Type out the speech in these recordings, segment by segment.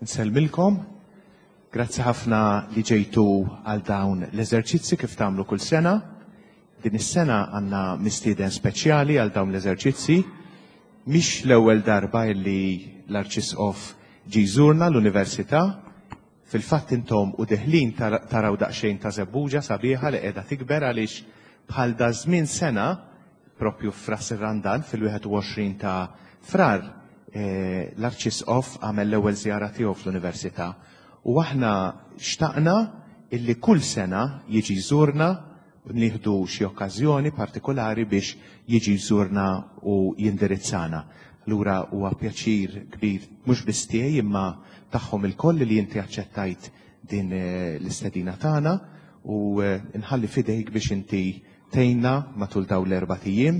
Nsellmilkom. Grazzi ħafna li ġejtu għal dawn l-eżerċizzi kif tagħmlu kull sena. Din is-sena għandna mistieden speċjali għal dawn l-eżerċizzi. Mhix l-ewwel darba li l-Arċisqof ġie jżurna l-Università. Fil-fatt intom u deħlin taraw daqsxejn ta' żebbuġa sabiħa li qiegħda tikber għaliex bħal daż-żmien sena Propju f'Ras ir-Randan, fil-21 ta' Frar, l-Arċisqof għamel l-ewwel żjara tiegħu fl-Università u aħna xtaqna illi kull sena jiġi jżurna u nieħdu xi okkażjoni partikulari biex jiġi jżurna u jindirizzana. Allura huwa pjaċir kbir mhux biss tiegħi imma tagħhom ilkoll li inti aċċettajt din l-istedina tagħna u nħalli f'idejk biex inti Tgħinna matul dawn l-erbat ijiem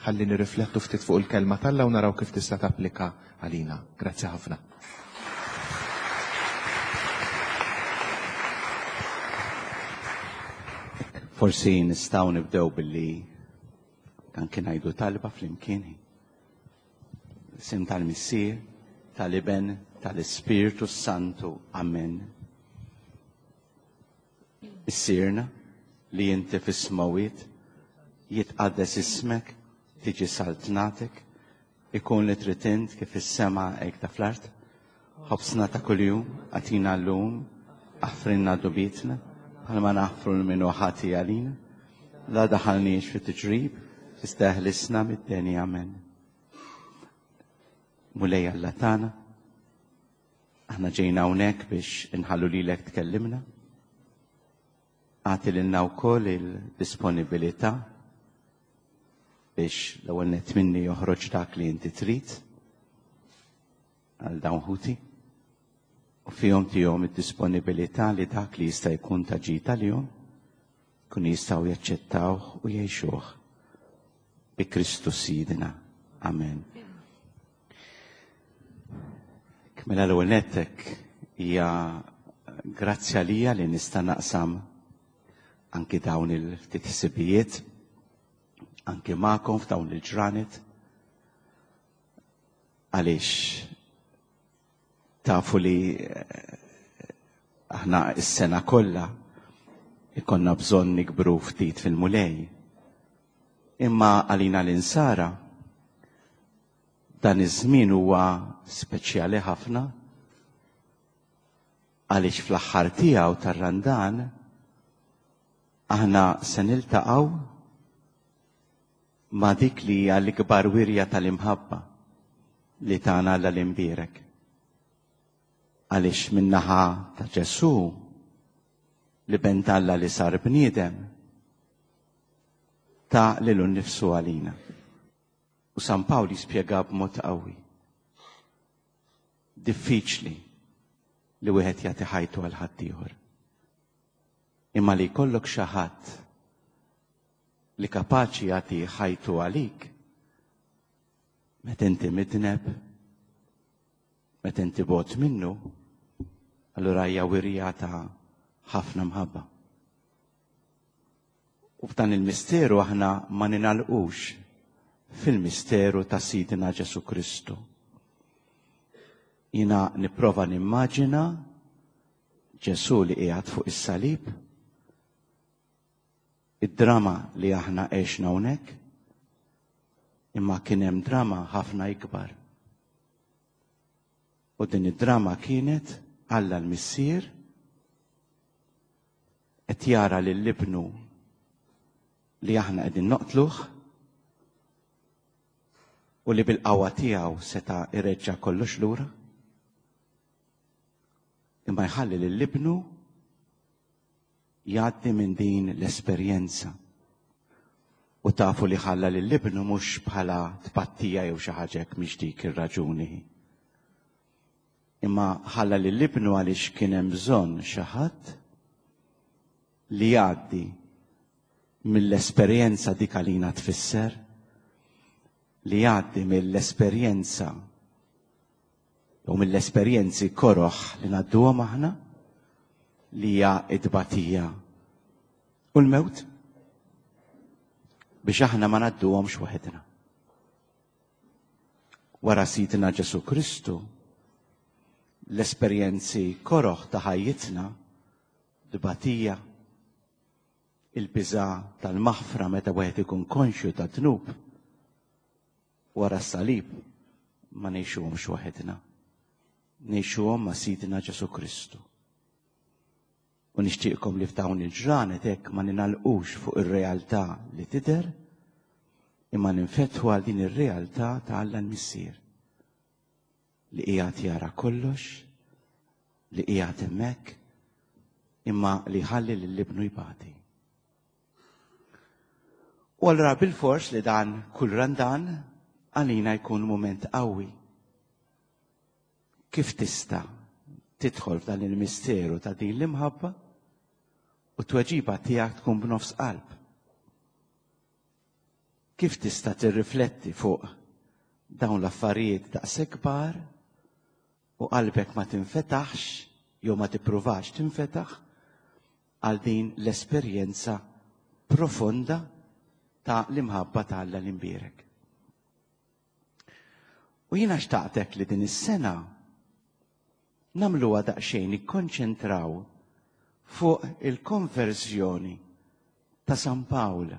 ħalli nirriflettu ftit fuq il-Kelma t'Alla u naraw kif tista' tapplika għalina. Grazzi ħafna. Forsi nistgħu nibdew billi anke ngħidu talba flimkien. Sim tal-Missier, tal-Iben, tal-Ispirtu Santu. Amen. Missierna li inti fis-smewwiet, jitqaddes ismek, tiġi saltnatek, ikun li trid int kif fis-sema hekk ta' fl-art. Ħobsna ta' kuljum agħtina llum, aħfrilna dnubietna bħalma naħfru lil min hu ħati għalina. La daħalniex fit-tiġrib, iżda eħlisna mid-deni. Amen. Mulej Alla tagħna, Aħna ġejna hawnhekk biex inħallu lilek tkellimna. Agħti lilna wkoll il-disponibilità biex l-ewwel nett minni joħroġ dak li inti trid għal dawn ħuti u fihom tihom id-disponibilità li dak li jista' jkun ta' ġid għalihom kun jistgħu jaċċettawh u jgħixuh bi Kristu Sidna. Amen. Mela l-ewwel nettek hija grazzi għalija li nista' naqsam anki dawn il-ftit ħsibijiet anki magħkom f'dawn il-ġranet għaliex tafu li eh, aħna s-sena kollha ikonna bżonn nikbru ftit fil-mulej. Imma għalina l-insara Dan iż-żmien huwa speċjali ħafna għaliex fl-aħħar tiegħu tar-Randan aħna se niltaqgħu ma' dik li hija l-ikbar wirja tal-imħabba li tana Alla l-imbierek. Għaliex min-naħa ta' Ġesù li ben t'Alla li sar bniedem ta' lilu nnifsu għalina. U San Pawl jispjega b'mod qawwi. Diffiċli li wieħed jagħti ħajtu għal ħaddieħor. Imma li jkollok xi ħadd li kapaċi jagħti ħajtu għalik meta inti midneb, meta inti bot minnu, allura hija wirja ta' ħafna mħabba. U f'dan il-misteru aħna ma ninalqux fil-misteru ta' Sidna Ġesu Kristu. Jina nipprova nimmaġina Ġesu li qiegħed fuq is-salib, id-drama li aħna għexna hawnhekk, imma kien hemm drama ħafna ikbar. U din id-drama kienet Alla l-Missier Qed jara lil ibnu li aħna qegħdin noqtluh u li bil-qawwa tiegħu seta' ireġġa' kollox lura. Imma jħalli lil ibnu jgħaddi minn din l-esperjenza. U tafu li ħalla lil ibnu mhux bħala tpattija jew xi ħaġa hekk mhix dik ir-raġuni. Imma ħalla lil ibnu għaliex kien hemm bżonn xi ħadd li jgħaddi mill-esperjenza dik għalina tfisser li jgħaddi mill-esperjenza u mill-esperjenzi koroħ li ngħadduhom aħna li hija t-tbatija u l-mewt biex aħna ma ngħadduhomx waħedna. Wara Sidna Ġesu Kristu, L-esperjenzi koroħ ta' ħajjitna, tbatija, il-biża' tal-maħfra meta wieħed ikun konxju ta' dnub, wara s-salib ma ngħixuhomx waħedna. Ngħixuhom ma' Sidna Ġesù Kristu. U nixtieqkom li f'dawn il-ġranet hekk ma ninalqux fuq ir-realtà li tidher, imma ninfetħu għal din ir-realtà ta' Alla l-Missier li qiegħed jara kollox, li qiegħed hemmhekk, imma li ħalli lil ibnu jbati. U allura bilfors li dan kull Randan għalina jkun mument qawwi. Kif tista' tidħol f'dan il-misteru ta' din l-imħabba u t-tweġiba tiegħek tkun b'nofs qalb? Kif tista' tirrifletti fuq dawn l-affarijiet daqshekk kbar u qalbek ma tinfetaħx jew ma tippruvax tinfetaħ għal din l-esperjenza profonda ta' l-imħabba ta' Alla l-imbierek? U jiena xtaqtek li din is-sena nagħmluha daqsxejn nikkonċentraw fuq il-konverżjoni ta' San Pawl.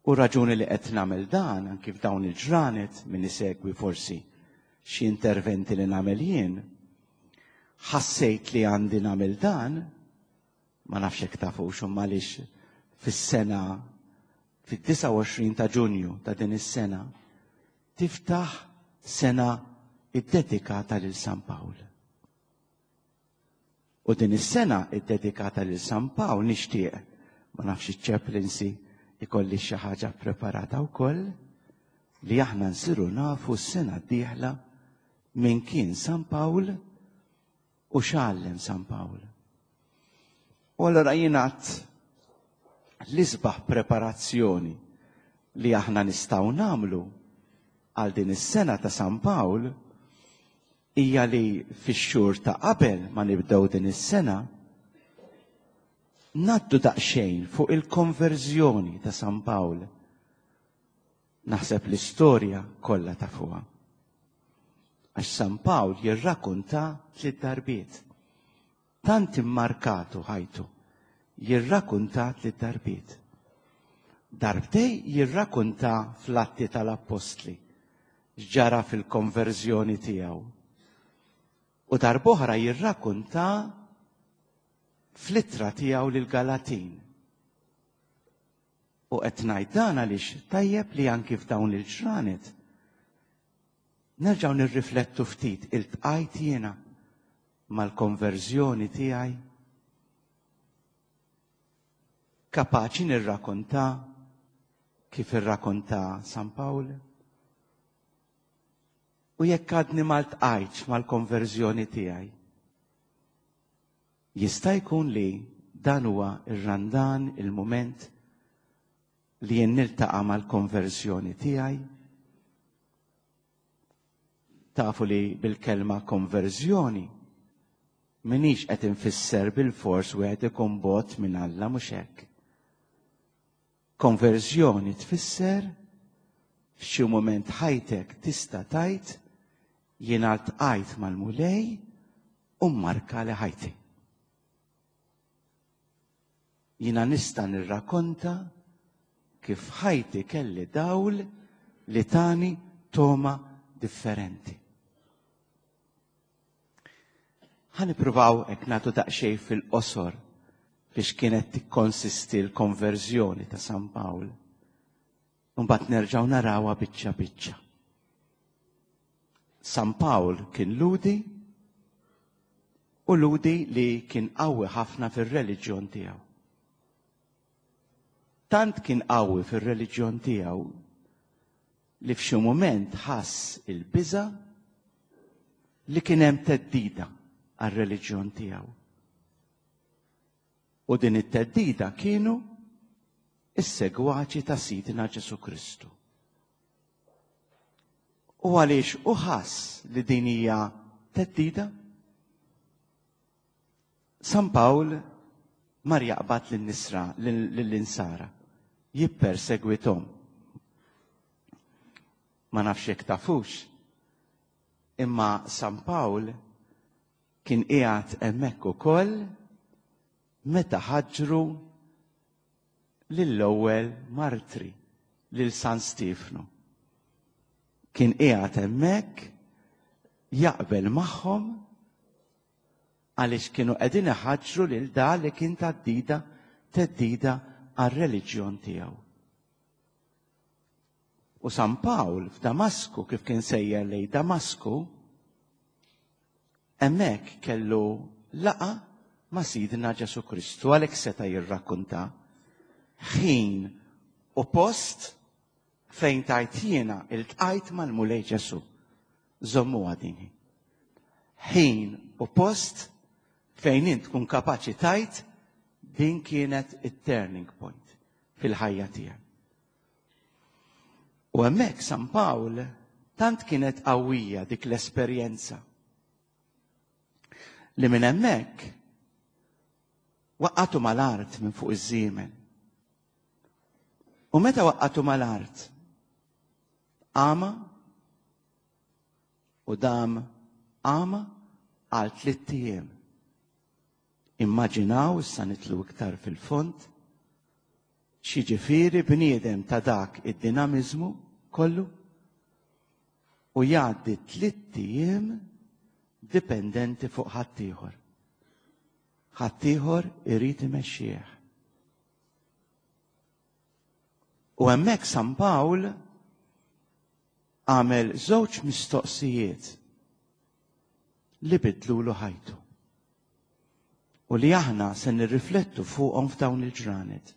U raġuni li qed nagħmel dan anki f'dawn il-ġranet min isegwi forsi xi interventi li nagħmel jien, ħassejt li għandi nagħmel dan, ma nafx hekk tafux imma għaliex fis-sena fid-29 ta' Ġunju ta' din is-sena tiftaħ sena iddedikata lil San Pawl. U din is-sena iddedikata lil San Pawl nixtieq, ma nafx iċ-chaplaincy ikolli xi ħaġa preparata wkoll, li aħna nsiru nafu s-sena d-dieħla min kien San Pawl u x'għallem San Pawl. U allura jingħad l-isbaħ preparazzjoni li aħna nistgħu nagħmlu għal din is-sena ta' San Pawl hija li fix-xhur ta' qabel ma nibdew din is-sena ngħaddu daqsxejn fuq il-konverżjoni ta' San Pawl. Naħseb l-istorja kollha tafuha. Għax San Pawl jirrakunta tliet darbiet. Tant immarkatu ħajtu. Jirrakunta tliet darbiet. Darbtej jirrakunta fl-Atti tal-Appostli x'ġara fil-konverżjoni tiegħu. U darb'oħra jirrakunta fl-ittra tiegħu lill-Galatin. U qed ngħid dan għaliex tajjeb li anki f'dawn il-ġranet nerġgħu nirriflettu ftit iltqajt jiena mal-konverżjoni tiegħi. Kapaċi nirrakonta kif irrakonta San Pawl? U jekk għadni ma ltqajtx mal-konverżjoni tiegħi, Jista' jkun li dan huwa r-Randan, il-mument li jien niltaqa' mal-konverżjoni tiegħi? Tafu li bil-kelma konverżjoni minix qed infisser bil-fors wieħed ikun bot minn Alla mhux hekk. Konverżjoni tfisser f'xi mument ħajtek tista' tgħid jiena ltqajt mal-Mulej u mmarka li ħajti. Jiena nista' nirrakonta kif ħajti kelli dawl li tani toma differenti. Ħa nippruvaw hekk nagħtu daqsxejn fil-qosor biex kienet tikkonsisti l-konverżjoni ta' San Pawl. Mbagħad nerġgħu narawha biċċa biċċa. San Pawl kien Ludi u Ludi li kien qawwi ħafna fir-reliġjon tiegħu. Tant kien qawwi fir-reliġjon tiegħu li f'xi mument ħass il-biża' li kien hemm theddida għar-reliġjon tiegħu. U din it-theddida kienu is-segwaċi ta' Sidna Ġesu Kristu. U għaliex u ħass li din hija theddida? San Pawl mar jaqbad lin-nisra lill-insara, jippersegwithom. Ma nafx jekk tafux. Imma San Pawl kien qiegħed hemmhekk ukoll meta ħaġġru lill-ewwel martri, lil San Stiefnu. Kien qiegħed hemmhekk jaqbel magħhom għaliex kienu qegħdin iħaġġru lil da li kien taddida teddida għar-reliġjon tiegħu. U San Pawl f'Damasku kif kien sejjer lej Damasku, hemmhekk kellu laqa ma' Sidna Ġesu Kristu għalhekk seta' jirrakkunta ħin u post fejn tajt jiena iltqajt mal-Mulej Ġesu. Żommuha din. Ħin u post fejn int tkun kapaċi tajt din kienet it-turning point fil-ħajja tiegħek. U hemmhekk San Pawl tant kienet qawwija dik l-esperjenza li minn hemmhekk waqqatu mal-art minn fuq iż-żiemel. U meta waqqatu mal-art, għama u dam għama għal tlitt ijiem. Immaġinaw issa nitlu iktar fil-fond x'jiġifieri bniedem ta' dak id-dinamiżmu kollu u jgħaddi tlitt ijiem dipendenti fuq ħaddieħor. Ħaddieħor irid imexxih. U hemmhekk San Pawl għamel żewġ mistoqsijiet li bidlulu ħajtu u li aħna se nirriflettu fuqhom f'dawn il-ġranet.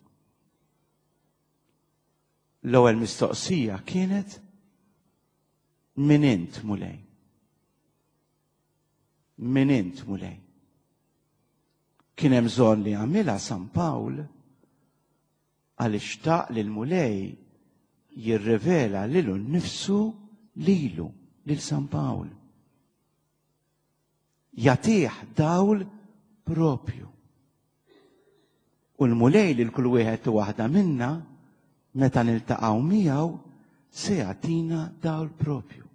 L-ewwel mistoqsija kienet min int Mulej? Min int Mulej? Kien hemm bżonn li għamilha San Pawl għaliex xtaq li l-Mulej jirrivela lilu nnifsu lilu lil San Pawl. Jagħtih dawl propju. U l-Mulej lil kull wieħed u waħda minna meta niltaqgħu miegħu se jagħtina dawl propju.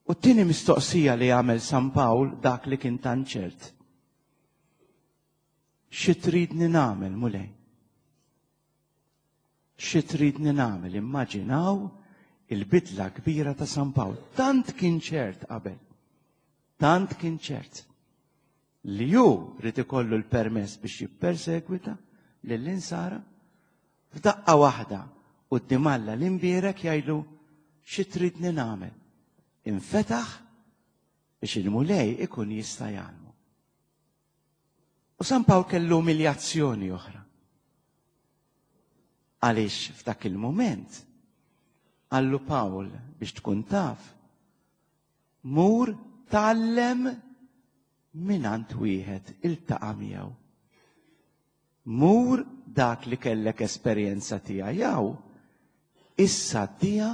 U t-tieni mistoqsija li għamel San Pawl dak li kien tant ċert. Xi tridni nagħmel, Mulej? Xi tridni nagħmel? Immaġinaw il-bidla kbira ta' San Pawl. Tant kien ċert qabel. Tant kien ċert li hu rid ikollu l-permess biex jippersegwita lill-insara f'daqqa waħda quddiem Alla l-imbierek jgħidlu xi tridni nagħmel. Infetaħ biex il-Mulej ikun jista' jgħallmu. U San Pawl kellu umiljazzjoni oħra. Għaliex f'dak il-moment qallu Pawl biex tkun taf, mur tgħallem mingħand wieħed iltaqa' miegħu. Mur dak li kellek esperjenza tiegħu issa għaddiha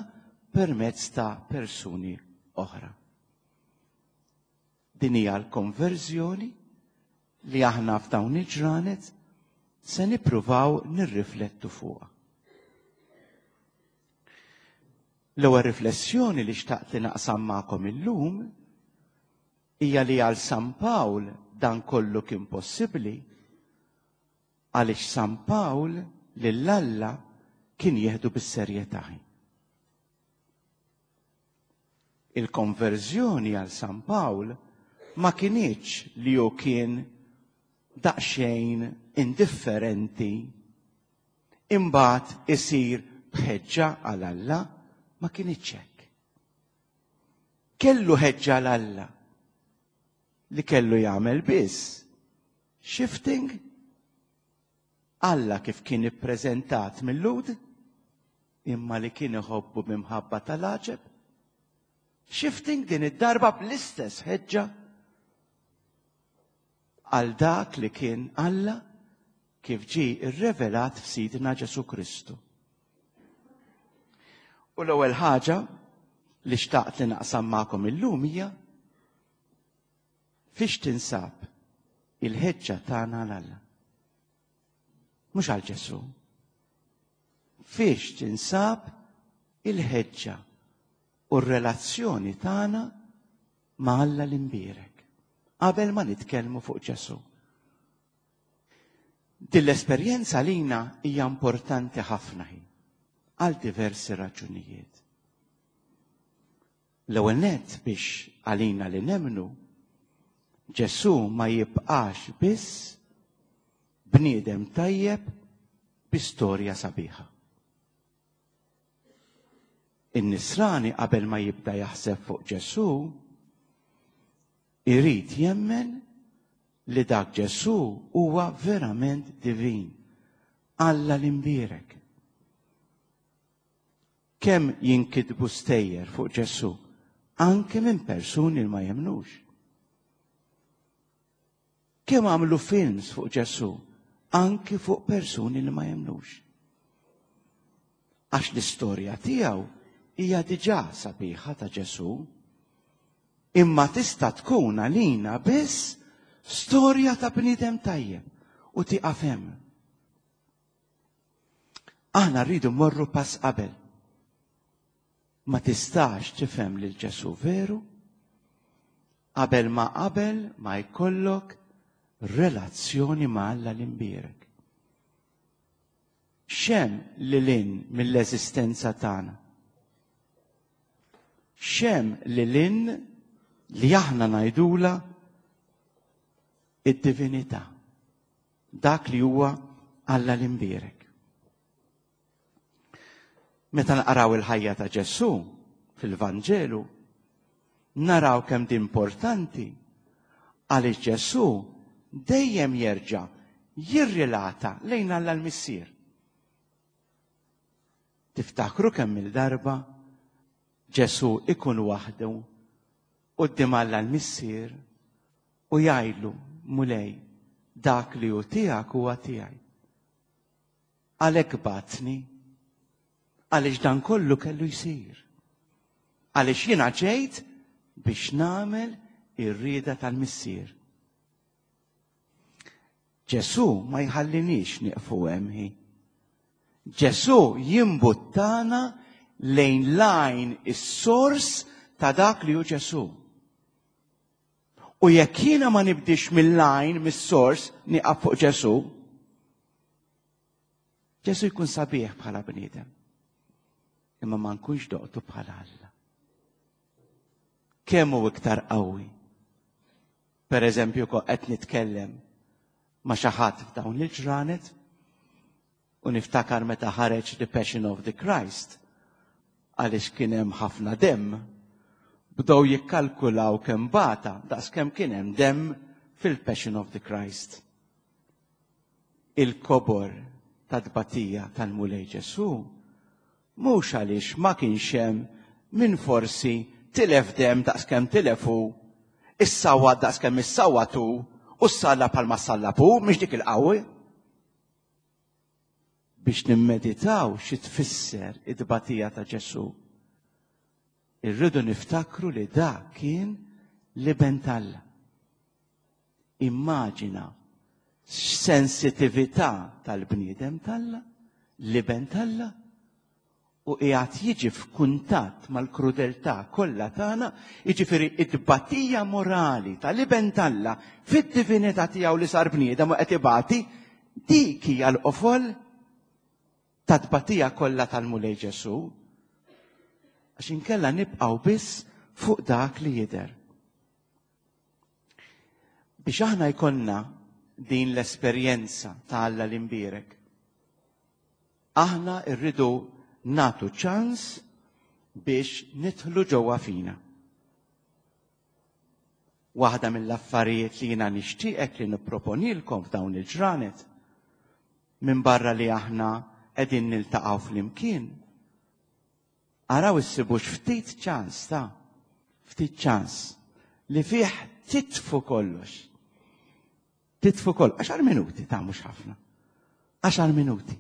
permezz ta' persuni oħra. Din hija l-konverżjoni li aħna f'dawn il-ġranet se nippruvaw nirriflettu fuqha. L-ewwel riflessjoni li xtaqt li naqsam magħkom illum hija li għal San Pawl dan kollu kien possibbli għaliex San Pawl lil Alla kien jieħdu bis-serjetà. Il-konverżjoni għal San Pawl ma kinitx li hu kien daqsxejn indifferenti imbagħad isir b'ħeġġa għal Alla, ma kinitx hekk. Kellu ħeġġa għal Alla li kellu jagħmel biss shifting Alla kif kien ippreżentat mil-Lhud imma li kien iħobbu b'imħabba tal-għaġeb. Shifting din id-darba bl-istess ħeġġa għal dak li kien Alla kif ġie rrevelat f'Sidna Ġesù Kristu. U l-ewwel ħaġa li xtaqt li naqsam magħkom illum hija fiex tinsab il-ħeġġa tagħna għal Alla. Mhux għal Ġesù. Fiex tinsab il-ħeġġa. u r-relazzjoni tagħna ma' Alla l-imbierek qabel ma nitkellmu fuq Ġesù. Din l-esperjenza lina hija importanti ħafna hi għal diversi raġunijiet. L-ewwel nett biex għalina li nemmnu Ġesù ma jibqax biss bniedem tajjeb bi storja sabiħa. In-nisrani qabel ma jibda jaħseb fuq Ġesù, irid jemmen li dak Ġesù huwa verament divin, Alla l-imbierek. Kemm jinkitbu stejjer fuq Ġesù, anke minn persuni li ma jemmnux. Kemm għamlu films fuq Ġesù, anki fuq persuni li ma jemmnux. Għax l-istorja tiegħu hija diġà sabiħa ta' Ġesù, imma tista' tkun għalina biss storja ta' bniedem tajjeb u tieqaf hemm. Aħna rridu mmorru pass qabel. Ma tistax tifhem lil Ġesù veru qabel ma qabel ma jkollok relazzjoni ma' Alla l-imbierek. X'hemm lil hinn mill-eżistenza tagħna? X'hemm lil hinn li aħna ngħidula id-divinità, dak li huwa Alla l-imbierek. Meta naqraw il-ħajja ta' Ġesù fil-Vanġelu, naraw kemm di importanti għaliex Ġesù dejjem jerġa' jirrilata lejn Alla l-Missier. Tiftakru kemm il-darba Ġesù ikun waħdu quddiem Alla l-Missier u jgħidlu, Mulej, dak li hu tiegħek huwa tiegħi. Għalhekk bagħatni, għaliex dan kollu kellu jsir. Għaliex jiena ġejt biex nagħmel ir-rieda tal-Missier. Ġesù ma jħalliniex nieqfu hemm hi. Ġesù jimbuttana lejn l-għajn is-sors ta' dak li hu Ġesù. U jekk jiena ma nibdix mill-għajn, mis-sors, nieqaf fuq Ġesù, Ġesù jkun sabiħ bħala bniedem. Imma ma nkunx doqtu bħala Alla. Kemm hu iktar qawwi? Per eżempju, qed nitkellem ma' xi ħadd f'dawn il-ġranet U niftakar meta ħareġ The Passion of the Christ, għaliex kien hemm ħafna demm, bdew jikkalkulaw kemm bata daqs kemm kien hemm demm fil-Passion of the Christ. Il-kobor ta' tbatija tal-Mulej Ġesù mhux għaliex ma kienx hemm min forsi tilef demm daqs kemm tilef hu, issawwat daqs kemm issawwat hu, u ssallab bħalma ssallab hu, mhix dik il-qawwi. Biex nimmeditaw xi tfisser it-tbatija ta' Ġesù, irridu niftakru li dak kien l-Iben t'Alla. Immaġina x'sensitività tal-bniedem t'Alla, l-Iben t'Alla, u qiegħed jiġi f'kuntatt mal-krudeltà kollha tagħna, jiġifieri t-tbatija morali tal-Iben t'Alla fid-divinità tiegħu li sar bniedem u qed ibati, dik hija l-qofol tat-tbatija kollha tal-Mulej Ġesù. Għax inkella nibqgħu biss fuq dak li jidher. Biex aħna jkollna din l-esperjenza ta' Alla l-imbierek, aħna rridu nagħtu ċans biex nidħlu ġewwa fina. Waħda mill-affarijiet li jiena nixtieqek li nipproponilkom f'dawn il-ġranet, minbarra li aħna qegħdin niltaqgħu flimkien, Araw issibux ftit ċans ta' ftit ċans li fih titfu kollox. Titfu kollox. Għaxar minuti ta' mhux ħafna. Għaxar minuti.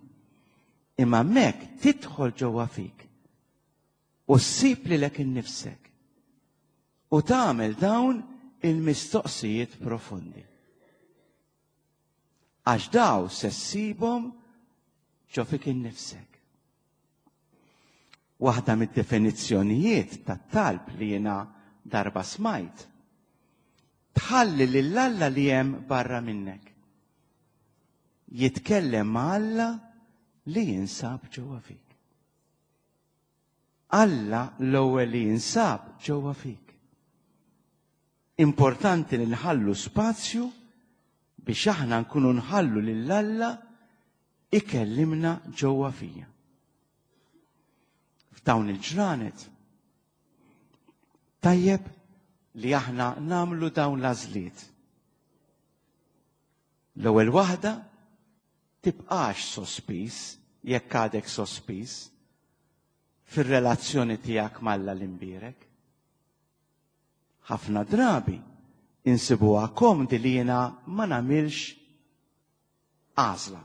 Imma mek tidħol ġewwa fik u ssib lilek innifsek u tagħmel dawn il-mistoqsijiet profondi. Għax daw se ssibhom ġo fik innifsek. Waħda mid-definizzjonijiet tat-talb li jiena darba smajt, tħalli lil Alla li hemm barra minnek. Jitkellem ma' Alla li jinsab ġewwa fik. Alla l-ewwel li jinsab ġewwa fik. Importanti li nħallu spazju biex aħna nkunu nħallu lil Alla ikellimna ġewwa fija. F'dawn il-ġranet tajjeb li aħna namlu dawn l-għażliet. L-ewwel waħda tibqax sospiż jekk għadek sospiż fir-relazzjoni tiegħek m'Alla l-imbierek. Ħafna drabi insibuha komdi li jiena ma nagħmilx għażla.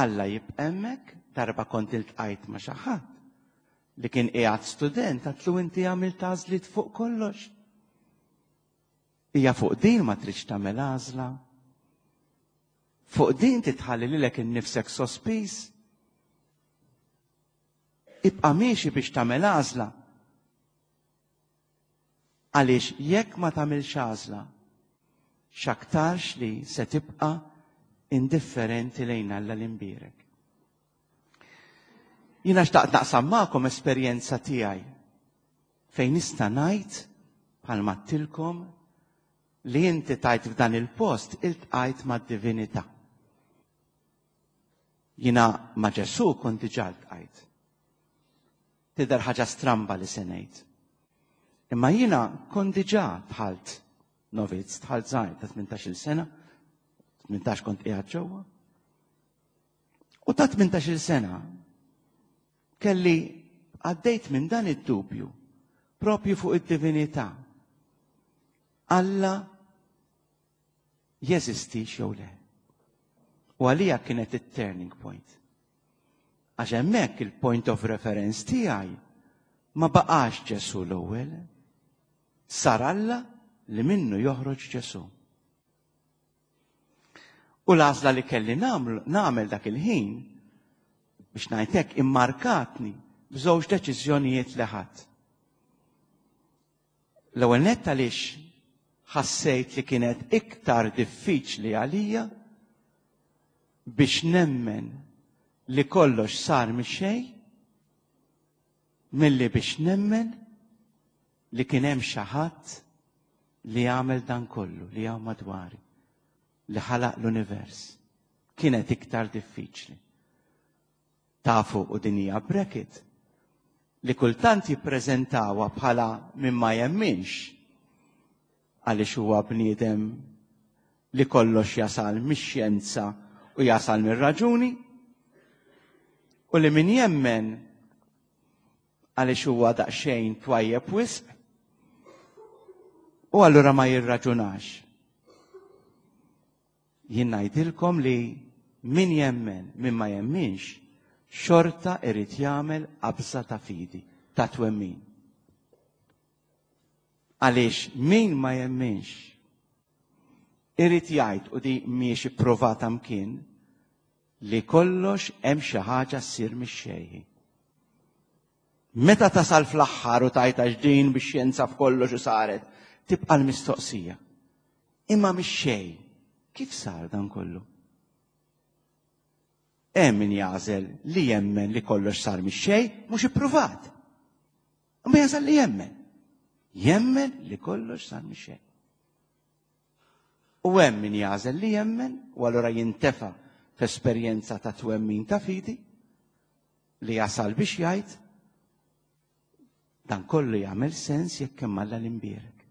Alla jibqa' hemmhekk, darba kont iltqajt ma' xi ħadd li kien qiegħed student għatlu inti għamilt għażliet fuq kollox. Hija fuq din ma tridx tagħmel għażla. Fuq din titħalli lilek innifsek sospiż. Ibqa' miexi biex tagħmel għażla. Għaliex jekk ma tagħmilx għażla, x'aktarx li se tibqa' indifferenti lejn Alla l-imbierek. Jiena xtaqt naqsam magħkom esperjenza tiegħi fejn nista' ngħid bħalma għedtilkom li inti tajt f'dan il-post iltqajt mad-divinità. Jiena ma' Ġesù kont diġà ltqajt. Tidher ħaġa stramba li se ngħid. Imma jiena kont diġà dħalt novizz, dħalt żgħir ta' 18-il sena, 18 kont qiegħed ġewwa. U ta' 18-il sena kelli għaddejt minn dan id-dubju propju fuq id-divinità. Alla jeżistix jew le. U għalija kienet it-turning point. Għax hemmhekk il-point of reference tiegħi ma baqax Ġesu l-ewwel. Sar Alla li minnu joħroġ Ġesu. U l-għażla li kelli nagħmel dak il-ħin biex ngħidlek immarkatni b'żewġ deċiżjonijiet li ħadd. L-ewwel nett għaliex ħassejt li kienet iktar diffiċli għalija biex nemmen li kollox sar mix-xejn milli biex nemmen li kien hemm xi ħadd li għamel dan kollu li hawn madwari, li ħalaq l-univers. Kienet iktar diffiċli. Tafu u din hija bracket li kultant jippreżentawha bħala min ma jemminx għaliex huwa bniedem li kollox jasal mix-xjenza u jasal mir-raġuni u li min jemmen għaliex huwa daqsxejn twajjeb wisq u allura ma jirraġunax. Jien ngħidilkom li min jemmen, min ma jemminx, xorta irid jagħmel qabża ta' fidi, ta' twemmin. Għaliex min ma jemminx irid jgħid u di mhijiex ipprovata mkien li kollox hemm xi ħaġa ssir mix-xejn. Meta tasal fl-aħħar u tajt għax din bix-xjenza f'kollox u saret, tibqa' l-mistoqsija. Imma mix-xejn, kif sar dan kollu? Hemm min jagħżel li jemmen li kollox sar mix-xejn mhux ippruvat. Imma jażel li jemmen. Jemmen li kollox sar mix-xejn. U hemm min jagħżel li jemmen u allura jintefa' f'esperjenza ta' twemmin ta' fidi li jasal biex jgħid dan kollu jagħmel sens jekk hemm Alla l-imbierek.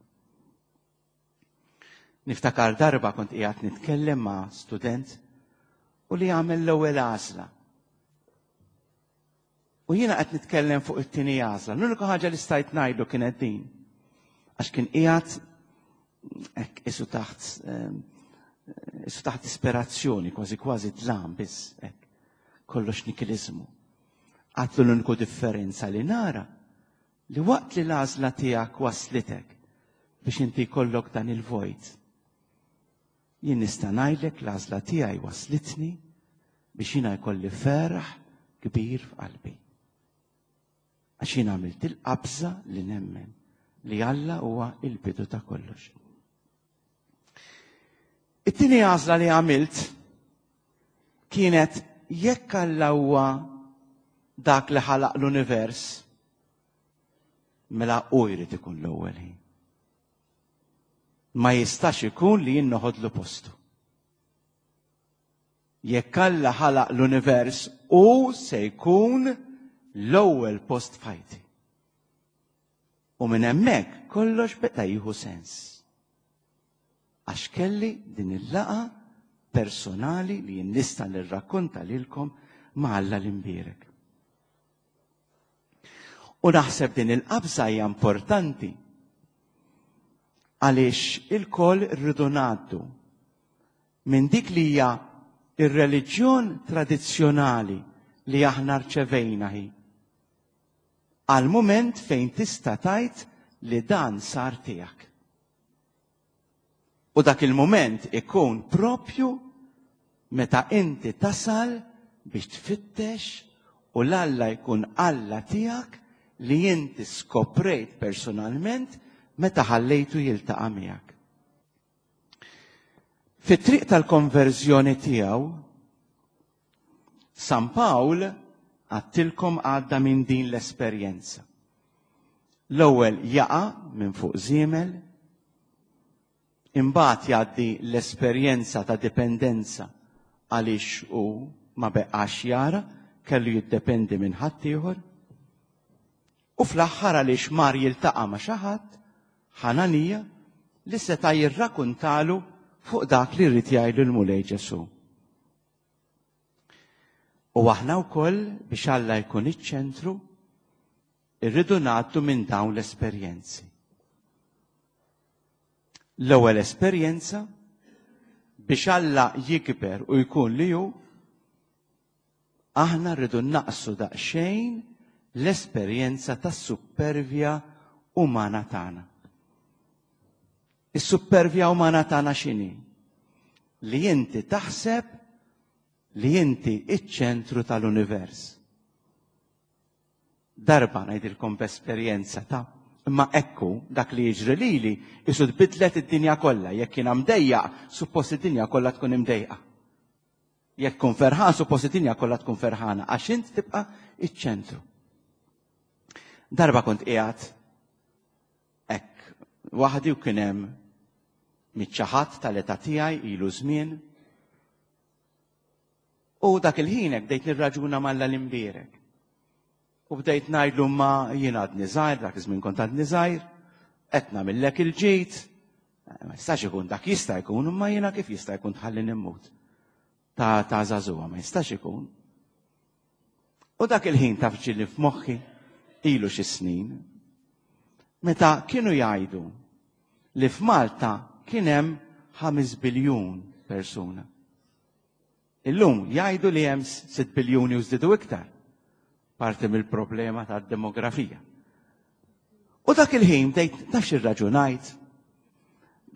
Niftakar darba kont qiegħed nitkellem ma' student u li għamel l-ewwel għażla. U jiena qed nitkellem fuq it-tieni għażla. L-unika ħaġa li stajt ngħidlu kienet din. Għax kien qiegħed hekk isu taħt ehm, isu taħt disperazzjoni, kważi kważi dlam biss hekk. Kollox nikilizmu. Għatlu l-uniku differenza li nara li waqt li l-għażla tiegħek waslitek biex inti jkollok dan il-vojt. Jien nista' ngħidlek l-għażla tiegħi waslitni biex jiena jkolli ferħ kbir f'qalbi. Għax jien għamilt il-qabża li nemmen li Alla huwa il-bidu ta' kollox. It-tieni għażla li għamilt kienet jekk Alla huwa dak li ħalaq l-univers, mela hu jrid ikun l-ewwel ħin. Ma jistax ikun li jien noħodlu postu. Jekk Alla ħalaq l-univers, hu se jkun l-ewwel post f'ħajti. U minn hemmhekk kollox beda jieħu sens. Għax kelli din il-laqa personali li jien nista' nirrakkonta lilkom ma' Alla l-imbierek. U naħseb din il-qabża hija importanti għaliex ilkoll rridu ngħaddu minn dik li hija ir-reliġjon tradizzjonali li aħna rċevejna hi għal mument fejn tista' tgħid li dan sar tiegħek. U dak il-mument ikun propju meta inti tasal biex tfittex u l-Alla jkun Alla tiegħek li inti skoprejt personalment meta ħallejtu jiltaqa' miegħek. Fit-triq tal-konverżjoni tiegħu, San Pawl għattilkom għadda minn din l-esperjenza. L-ewwel jaqa' minn fuq żiemel, imbagħad jgħaddi l-esperjenza ta' dipendenza għaliex hu ma beqax jara, kellu jiddependi minn ħaddieħor. U fl-aħħar għaliex mar jiltaqa' ma' xi ħadd, Ħananija, li seta' jirrakuntalu fuq dak li rrid jgħidlu l-Mulej Ġesù. U aħna wkoll biex Alla jkun iċ-ċentru, irridu ngħaddu minn dawn l-esperjenzi. L-ewwel esperjenza biex Alla jikber u jkun li hu, aħna rridu naqsu daqsxejn l-esperjenza tas-suppervja umana tagħna. Is-suppervja umana tagħna x'inhi? Li inti taħseb li inti iċ-ċentru tal-univers. Darba ngħidilkom b'esperjenza ta' imma ekku dak li jiġri lili isu tbidlet id-dinja kollha. Jekk jiena mdejjaq, suppost id-dinja kollha tkun imdejqa. Jekk tkun ferħan, suppost id-dinja kollha tkun ferħana, għax int tibqa' iċ-ċentru. Darba kont qiegħed hekk waħdi u kien hemm miċ tal-età tiegħi ilu żmien. U dak il-ħin hekk bdejt nirraġuna malla l-imbierek. U bdejt ngħidlu ma jien għadni żgħir, dak iż-żmien kont għadni żgħir, qed nagħmillek il-ġid, ma jistax ikun dak jista' jkun, imma jiena kif jista' jkun tħalli nimmut. Ta' ta' żagħżugħa ma jistax ikun. U dak il-ħin taf ġieli f'moħħi ilu xi snin, meta kienu jgħidu li f'Malta kien hemm 5 biljun persuna. Illum jgħidu li hemm 6 biljuni u żdiedu iktar. Parti mill-problema tad-demografija. U dak il-ħin bdejt taf x'irraġunajt.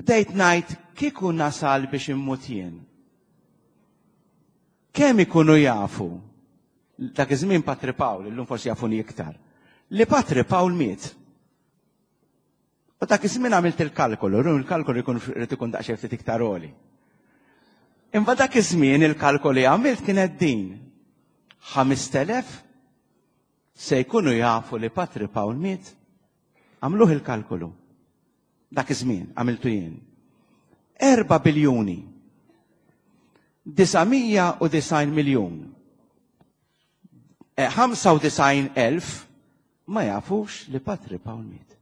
Bdejt ngħid kieku nasal biex immut jien. Kemm ikunu jafu dak iż-żmien Patri Pawl, illum forsi jafuni iktar, li Patri Pawl miet. U dak iż-żmien għamilt il-kalkolu, run il-kalkolu jkun irid ikun daqsxejn ftit iktar għoli. Imma dak iż-żmien il-kalkoli għamilt kienet din. 5000 se jkunu jafu li Patri Pawl miet. Għamluh il-kalkolu. Dak iż-żmien għamiltu jien. 4 biljuni. 990 miljun. 95,000 ma jafux li Patri Pawl miet.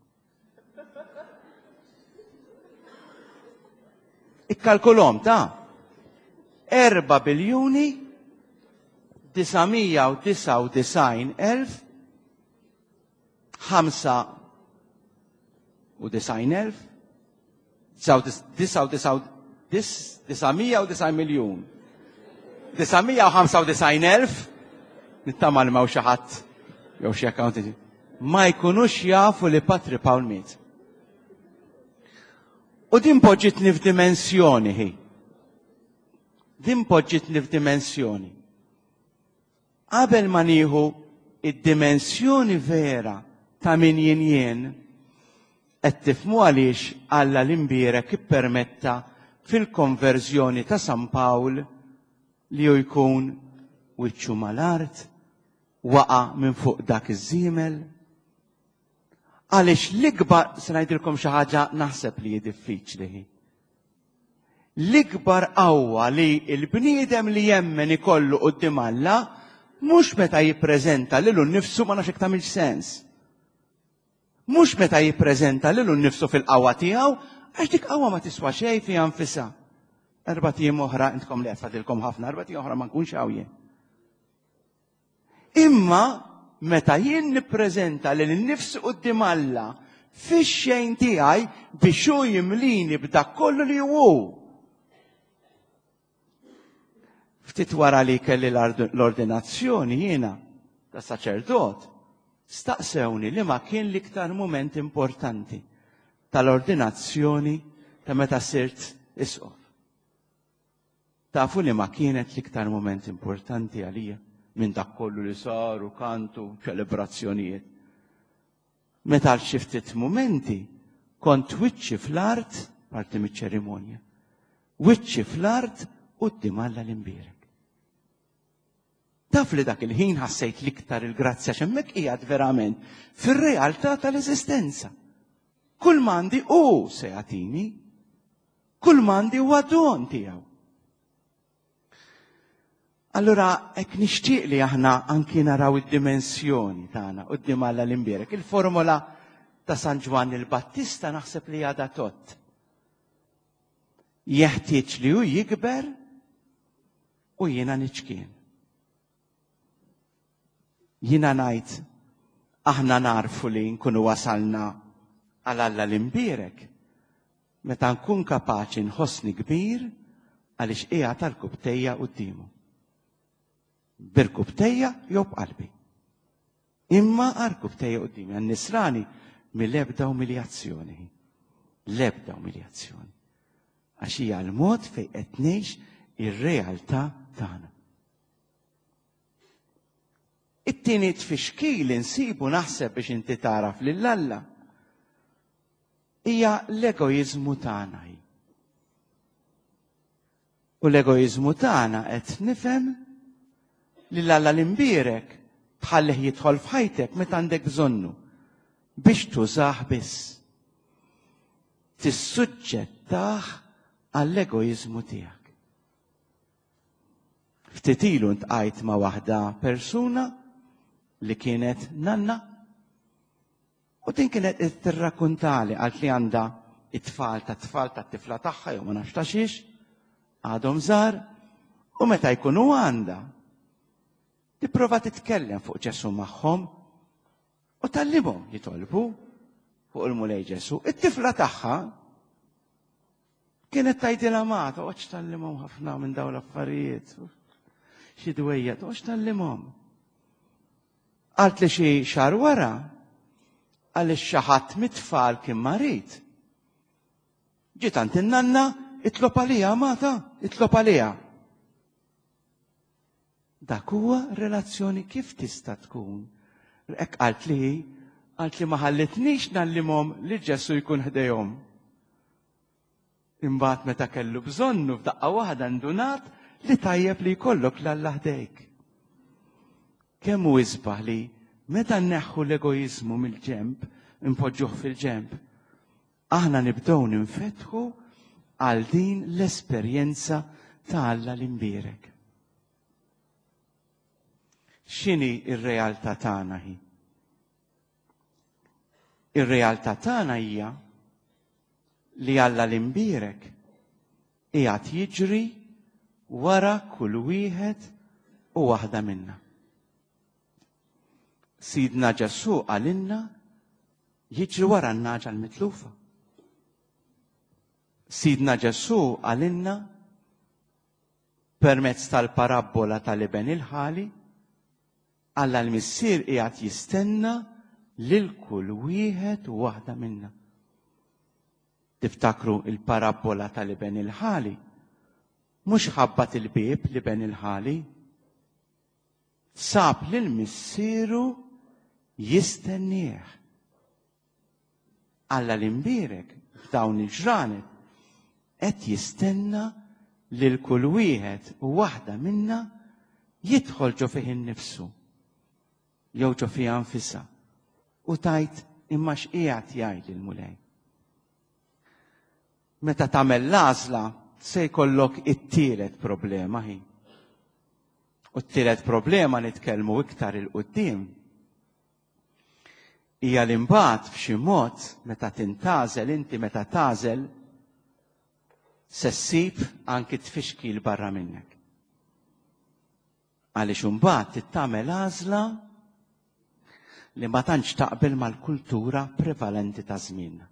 Ikkalkulhom ta' 4 biljuni 999 elf 95 elf 999 miljun 995 elf nittama li ma xi ħadd jew xi accountant ma jkunux jafu li Patri Pawl miet. U din poġġitni f'dimensjoni hi. Din poġġitni f'dimensjoni. Qabel ma nieħu id-dimensjoni vera ta' min jien jien, qed tifhmu għaliex Alla l-Imbierek ippermetta fil-konverżjoni ta' San Pawl li hu jkun wiċċu mal-art, waqa' minn fuq dak iż-żiemel. Għaliex l-ikbar, se ngħidilkom xi ħaġa naħseb li hi diffiċli hi. L-ikbar qawwa li l-bniedem li jemmen ikollu quddiem Alla mhux meta jippreżenta lilu nnifsu ma nafx jekk tagħmilx sens. Mhux meta jippreżenta lilu nnifsu fil-qawwa tiegħu għax dik qawwa ma tiswa xejn fiha nfisha. Erbat ijiem oħra intkom li qed fadilkom ħafna, erbat ijiem oħra ma nkunx hawn jien. Imma meta jien nippreżenta lil nnifsi quddiem Alla fix-xejn tiegħi biex hu jimlini b'dak kollu li hu. Ftit wara li kelli l-ordinazzjoni jiena ta' saċerdot, staqsewni li ma kien l-iktar mument importanti tal-ordinazzjoni ta' meta sirt isqof. Tafu liema kienet l-iktar mument importanti għalija minn dak kollu li sar u kantu ċelebrazzjonijiet? Meta għal xi ftit mumenti kont wiċċi fl-art, parti miċ-ċerimonja, wiċċi fl-art quddiem Alla l-imbierek. Taf li dak il-ħin ħassejt l-iktar il-grazzja x'hemmhekk qiegħed verament fir-realtà tal-eżistenza. Kull m'għandi hu se jagħtini. Kull m'għandi huwa don tiegħu. Allura hekk nixtieq li aħna anki naraw id-dimensjoni tagħna quddiem Alla l-imbierek. Il-formola ta' San Ġwann il-Battista naħseb li għadha tott. Jeħtieġ li hu jikber u jiena niċkien. Jiena ngħid aħna narfu li nkunu wasalna għal Alla l-imbierek meta nkun kapaċi nħossni kbir għaliex qiegħed għall-kubtejja quddiemu. Birkubtejja jew b'qalbi. Imma għarkubtejja quddiemi għan-nisrani mill-ebda umiljazzjoni. L-ebda umiljazzjoni. Għax hija l-mod fejn qed ngħix ir-realtà tagħna. It-tieni tfixkil insibu naħseb biex inti tagħraf lil Alla hija l-egoiżmu tagħna. U l-egoiżmu tagħna qed nifhem li l-Alla l-imbierek tħallih jidħol f'ħajtek meta għandek bżonnu biex tużah biss. Tissuġġettah għall-egoiżmu tiegħek. Ftit ilu ntqajt ma' waħda persuna li kienet nanna u din kienet qed tirrakkuntali qalt li għandha it-tfal ta' tfal ta' tifla tagħha jew ma nafx ta' xiex għadhom żgħar u meta jkunu għandha tipprova titkellem fuq Ġesu magħhom u tallimhom jitolbu fuq il-Mulej Ġesu. It-tifla tagħha Kienet tgħidilha ma toqgħodx tgħallimhom ħafna minn dawn l-affarijiet. Xi dwejja toqgħodx tgħallimhom. Qalt li xi xahar wara għaliex xi ħadd mit-tfal kien marid. Ġiet għand in-nanna itlob għalija mata, itlob għalija. Dak huwa relazzjoni kif tista' tkun. Hekk qalt li qalt li ma ħallitnix nallimhom li Ġesu jkun ħdejhom. Imbagħad meta kellu bżonnu f'daqqa waħda ndunat li tajjeb li jkollok 'l Alla ħdejk. Kemm hu isbaħ li meta nneħħu l-egoiżmu mill-ġenb, inpoġġuh fil-ġenb, aħna nibdew ninfetħu għal din l-esperjenza ta' Alla l-imbierek. X'inhi r-realtà tagħna hi? Ir-realtà tagħna hija li Alla l-imbierek qiegħed jiġri wara kull wieħed u waħda minna. Sidna Ġesù qalilna jiġri wara n-naġa l-mitlufa. Sidna Ġesù qalilna permezz tal-parabbola tal-iben il-ħali Alla l-Missier qiegħed jistenna lil kull wieħed u waħda minna. Tiftakru il-parabbola tal-iben il-ħali? Mhux ħabbat il-bieb l-iben il-ħali. Sab lil missieru jistennieh. Alla l-imbierek f'dawn il-ġranet qed jistenna lil kull wieħed u waħda minna jidħol ġo fih innifsu jew ġo fiha nfisha u tgħid imma x'qiegħed jgħid il-Mulej. Meta tagħmel l-għażla se jkollok it-tielet problema hi. U t-tielet problema nitkellmu iktar il-qudiem hija li mbagħad f'xi mod meta tintgħażel inti meta tagħżel se ssib anki tfixkil barra minnek. Għaliex imbagħad trid tagħmel għażla li ma tantx taqbel mal-kultura prevalenti ta' żmienna.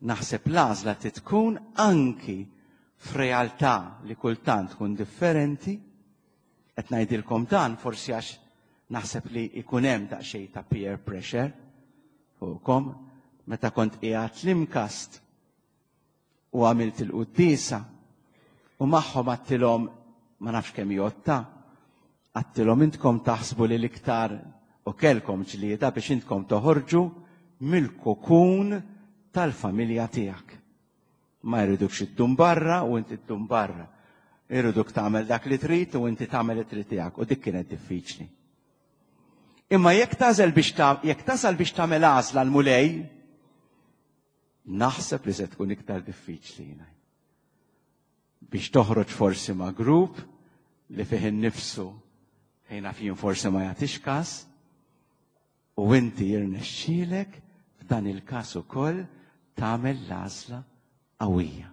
Naħseb l-għażla trid tkun anki f'realtà li kultant tkun differenti. Qed ngħidilkom dan forsi għax naħseb li jkun hemm daqsxejn ta' peer pressure fuqkom meta kont qiegħed l-imkast u għamilt il-quddiesa u magħhom għattilhom ma nafx kemm jotta, għattilhom intkom taħsbu li l-iktar u kelkom ġlieda biex intkom toħorġu mill-kokun tal-familja tiegħek. Ma jridukx iddum barra u inti ddum barra. Iriduk tagħmel dak li trid u inti tagħmel li trid tiegħek u dik kienet diffiċli. Imma jekk tażel biex jekk tasal biex tagħmel għażla l-Mulej, Naħseb li se tkun iktar diffiċli jiena. Biex toħroġ forsi ma' grupp li fih innifsu fejn naf jien forsi ma jagħtix każ u inti jirnexxielek f'dan il-każ ukoll tagħmel l-għażla qawwija.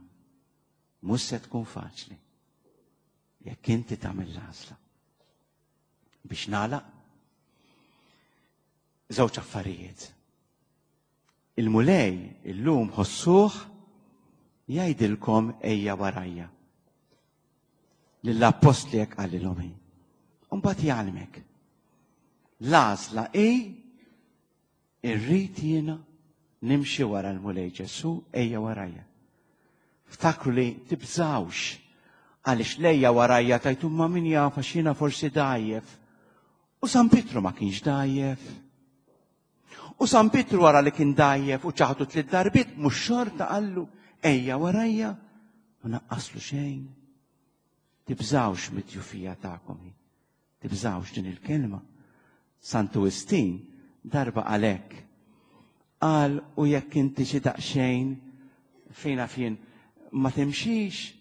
Mhux se tkun faċli jekk inti tagħmel l-għażla. Biex nagħlaq żewġ affarijiet. Il-Mulej illum ħossuh jgħidilkom ejja warajja. Lill-appostli hekk qalilhom hi. U mbagħad jgħallmek. L-għażla hi irrid jiena nimxi wara l-Mulej Ġesù ejja warajja. Ftakru li tibżawx għaliex lejja warajja tajtu ma min jaf għax jiena forsi dgħajjef. U San Pietru ma kienx dgħajjef. U San Pietru wara li kien dgħajjef u ċaħdu tliet darbiet, mhux xorta qallu ejja warajja, ma naqqaslu xejn. Tibżawx mid-djufija tagħkom. Tibżawx din il-kelma. Santu Wistin darba għalhekk. Qal u jekk inti xi daqsxejn fejn jien ma timxix,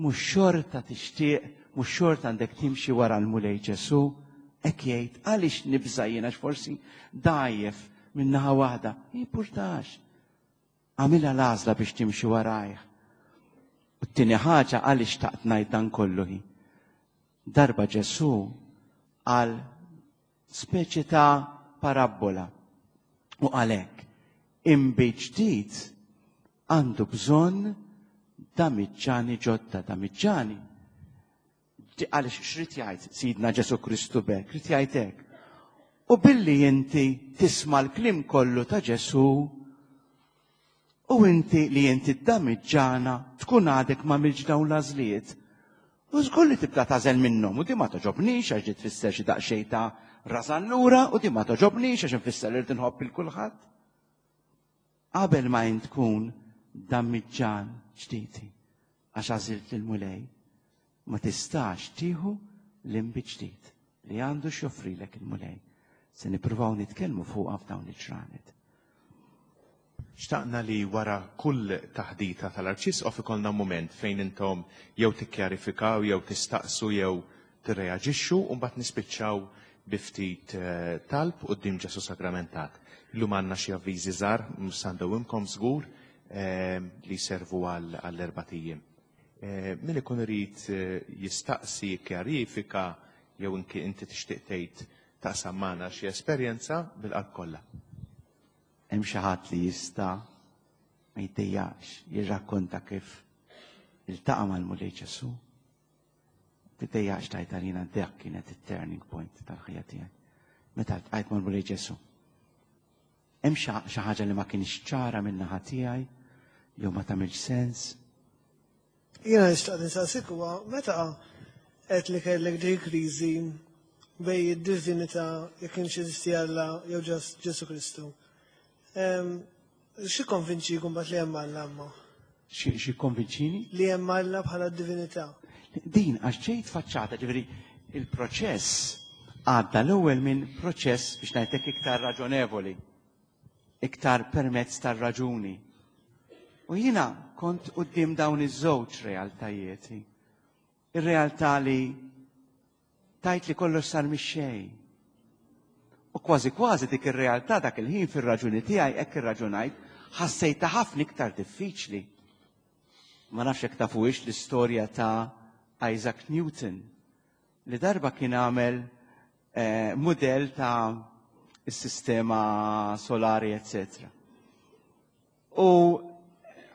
Mhux xorta tixtieq, mhux xorta għandek timxi wara l-Mulej Ġesù? Hekk jgħid, għaliex nibża' jien għax forsi dgħajjef minn naħa waħda. Jimpurtax. Għamilha l-għażla biex timxi warajh. U t-tieni ħaġa għaliex taqt ngħid dan kollu hi. Darba Ġesù għal speċi ta' parabbola u għalhekk inbid ġdid għandu bżonn damiġġani ġodda, damiġġani. Għaliex xrid jgħid Sidna Ġesu Kristu bek, rid jgħid hekk. U billi inti tisma' l-kliem kollu ta' Ġesu u inti li inti damiġġana tkun għadek ma milġ dawn l-għażliet. U żgur li tibda tażel minnhom u di ma toġobnix għax di tfisser xi daqsxejn ta' rażan lura u di ma toġobnix għax infisser li tinħobb il kulħadd. Qabel ma int tkun dammiġġan ġdid għax għażilt lill-Mulej, ma tistax tieħu l-inbid ġdid li għandu x'joffrilek il-Mulej. Se nippruvaw nitkellmu fuqha f'dawn il-ġranet. Xtaqna li wara kull taħdita tal-Arċisqof ikollna mument fejn intom jew tikkjarifikaw jew tistaqsu jew tirreaġixxu u mbagħad nispiċċaw bi ftit eh, talb quddiem Ġesu Sagramentat. Illum għandna xi avviżi żgħar mhux se ndewwimkom żgur eh, li jservu għall-erbat ijiem. Eh, min ikun irid jistaqsi, jikkjarifika jew inki inti tixtieq tgħid taqsam magħna xi esperjenza bil-qalb kollha. Hemm xi ħadd li jista' ma jiddejjaqx jirrakkonta kif iltaqa' mal-Mulej Ġesu? Tiddejjaqx tgħid għalina dak kienet it-turning point tal-ħajja tiegħi. Meta ltqajt mal-Mulej Ġesu. Hemm xi ħaġa li ma kienx ċara min-naħa tiegħi jew ma tagħmilx sens. Jiena li xtaqt insaqsik huwa meta Għedt li kellek dik il-kriżi bejn id-divinità jekk kienx jeżisti Alla jew just Ġesù Kristu. Xi konvinċik mbagħad li hemm Alla imma? Xi konvinċini? Li hemm Alla bħala divinità. Din għax ġejt faċċata, ġifieri il-proċess għadda l-ewwel minn proċess biex ngħidlek iktar raġonevoli, iktar permezz tar-raġuni. U jiena kont quddiem dawn iż-żewġ realtajiet. Ir-realtà li tajt li kollox sar mix-xejn. U kważi kważi dik ir-realtà dak il-ħin fir-raġuni tiegħi hekk irraġunajt, ħassejtha ħafna iktar diffiċli. Ma nafx jekk tafuhiex l-istorja ta' Isaac Newton li darba kien għamel eh, mudell ta' is-sistema solari, eccetera. U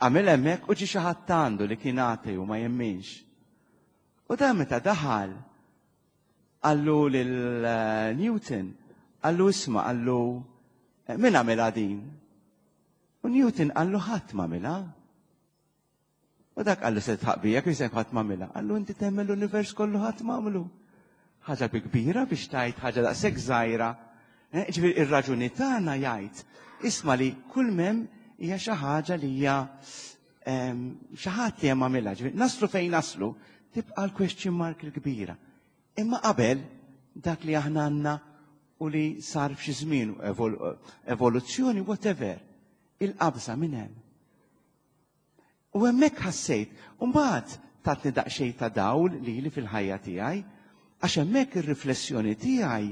għamel hemmhekk u ġie xi ħadd għandu li kien ateu ma jemminx. U dan meta daħal qallu lil eh, Newton, qallu isma' qallu eh, min għamilha din? U Newton qallu ħadd m'għamilha. U dak qallu se tħaq bija kif se ħadd m'għamilha. Qallu inti temmen l-univers kollu ħadd m'għamlu. Ħaġa bi kbira biex tajt ħaġa daqshekk żgħira. Eh, ġifieri ir-raġuni tagħna jgħid isma' li kull mem hija xi ħaġa li hija xi ħadd li hemm għamilha. Ġifieri naslu fejn naslu, tibqa' l-question mark il-kbira. Imma qabel dak li aħna għandna u li sar f'xi żmien evoluzzjoni whatever, il-qabża minn hemm. U hemmhekk ħassejt, u mbagħad tatni daqsxejn ta' dawl lili fil-ħajja tiegħi, għax hemmhekk ir-riflessjoni tiegħi,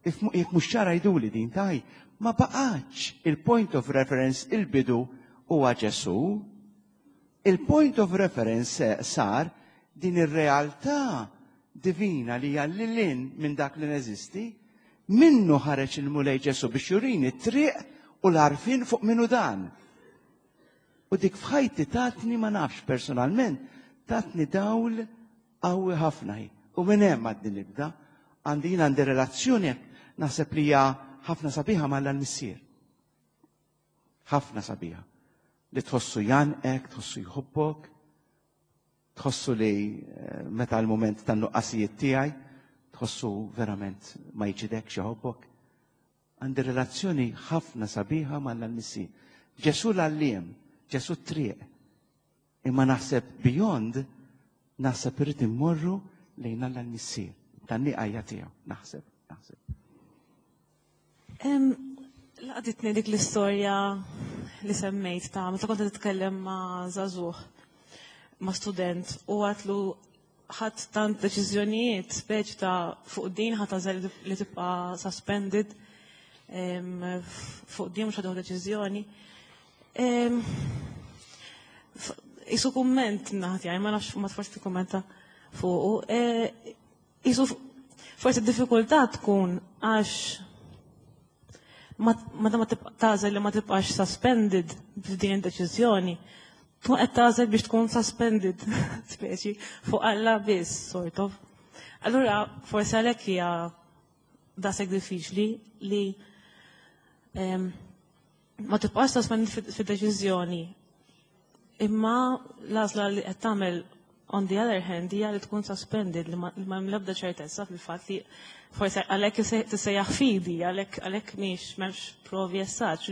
jekk mhux ċara jgħiduli din taj, ma baqgħetx il-point of reference il-bidu huwa Ġesù. Il-point of reference sar din ir-realtà divina li hija lil hinn minn dak li neżisti, minnu ħareġ il-Mulej Ġesù biex jurini t-triq u l-għarfien fuq minnu dan. U dik f'ħajti tatni ma nafx personalment, tatni dawl qawwi ħafna hi. U minn hemm għadni nibda, għandi jien għandi relazzjoni hekk naħseb li hija ħafna sabiħa ma' l-missier. Ħafna sabiħa. Li tħossu janqek, tħossu jħobbok, tħossu li eh, meta l-moment tan-nuqqasijiet tiegħi, tħossu verament ma jġidekx jħobbok. Għandi relazzjoni ħafna sabiħa ma' l-missier. Ġesù l-għalliem, Ġesù t-triq. Imma naħseb beyond, naħseb irrid immorru lejn Alla l-Missier. Tan-niqajja tiegħu, naħseb, naħseb. Laqditni dik l-istorja li semmejt ta' meta kont titkellem ma' żagħżugħ, ma' student u għatlu ħadd tant deċiżjonijiet speċi ta' fuq din ħadd għażel li tibqa' suspended fuq din mhux ħadu deċiżjoni. Isu kumment naħat jgħaj, ma nafx ma tforsi tikkummenta fuqu. E, isu forsi d-diffikultà tkun għax ma ma tagħżel li ma tibqax suspended f'din id-deċiżjoni, tkun qed tagħżel biex tkun suspended speċi fuq Alla biss, sort of. Allura forsi għalhekk hija daqshekk diffiċli li ma tibqax suspended fid-deċiżjoni. Imma l-għażla li qed tagħmel on the other hand hija li tkun suspended li ma hemm l-ebda ċertezza fil-fatt li forsi għalhekk tissejjaħ fidi, għalhekk għalhekk mhix m'hemmx provi essaċ.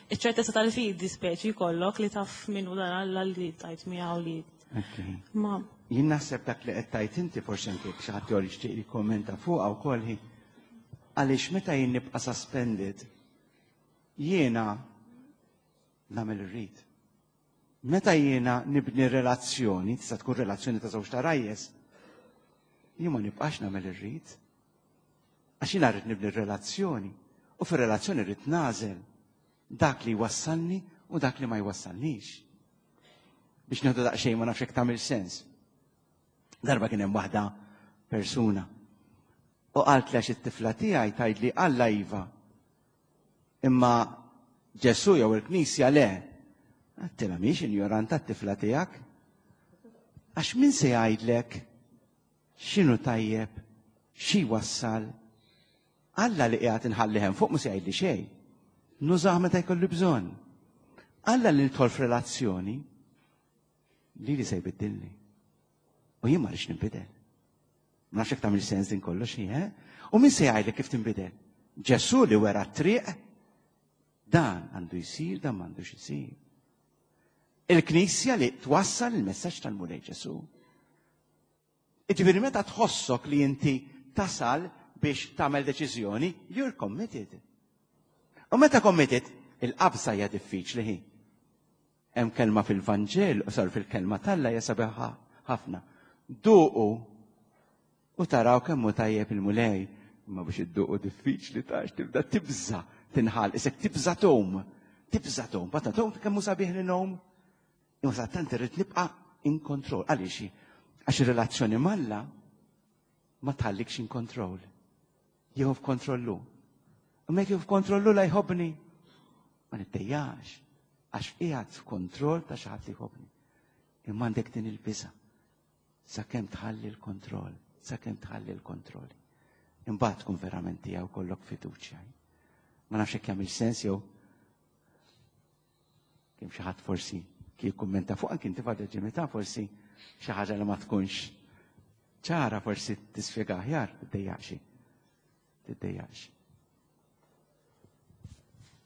Iċ-ċertezza tal-fidi speċi jkollok li taf min hu dan Alla li tajt miegħu li. Ma Jien naħseb dak li qed tajt inti forsi anke xi ħadd jew jixtieq jikkommenta fuqha wkoll hi għaliex meta jien nibqa' suspended jiena nagħmel irrid. Meta jiena nibni relazzjoni, tista' tkun relazzjoni ta' żewġ tarajjes, jien ma nibqax nagħmel irrid. Għax jiena rrid nibni relazzjoni u fir-relazzjoni rrid nagħżel dak li jwassalni u dak li ma jwassalnix. Biex nieħdu daqsxejn ma nafx hekk tagħmel sens. Darba kien hemm waħda persuna u qalt li għax it-tifla tiegħi tgħidli Alla iva. Imma Ġesù jew il-Knisja le. Għattilha mhix injoranta t-tifla tiegħek. Għax min se jgħidlek x'inhu tajjeb, xi wassal. Alla li qiegħed inħalli hemm fuq mhux se jgħidli xejn. Nużah meta jkolli bżonn. Alla li nidħol f'relazzjoni li li se jbiddilni. U jien ma rridx ninbidel. Ma nafx jekk tagħmel sens din kollox hi, eh? U min se jgħidlek kif tinbidel? Ġesù li wera t-triq, dan għandu jsir, dan m'għandux isir. Il-Knisja li twassal il-messaġġ tal-Mulej Ġesù. Iġifieri meta tħossok li inti tasal biex tagħmel deċiżjoni, you're committed. U meta committed, il-qabża hija diffiċli hi. Hemm kelma fil-Vanġel, u sar fil-kelma t'Alla hija sabiħa ħafna. Duqu u taraw kemm hu tajjeb il-Mulej. Imma biex idduqu diffiċli tax tibda tibża tinħal, isek tibża tom, tibża tom, bata tom kemm hu sabiħ li nom. Imma sa tant irrid nibqa' in control. Għaliex? Għax ir-relazzjoni m'Alla ma tħallikx in control. Jieħu f'kontrollu. Imma jekk jieħu f'kontrollu la jħobbni. Ma niddejjax għax qiegħed f'kontroll ta' xi ħadd li jħobbni. Imma għandek din il-biża' sakemm tħalli l-kontroll, sakemm tħalli l-kontroll. Imbagħad tkun verament tiegħu kollok fiduċja. Ma nafx hekk jagħmel sens jew kemm xi ħadd forsi kif kummenta fuq anki inti fadda ġimita forsi xi ħaġa li ma tkunx ċara forsi tispjega aħjar, tiddejjaqx. Tiddejjaqx.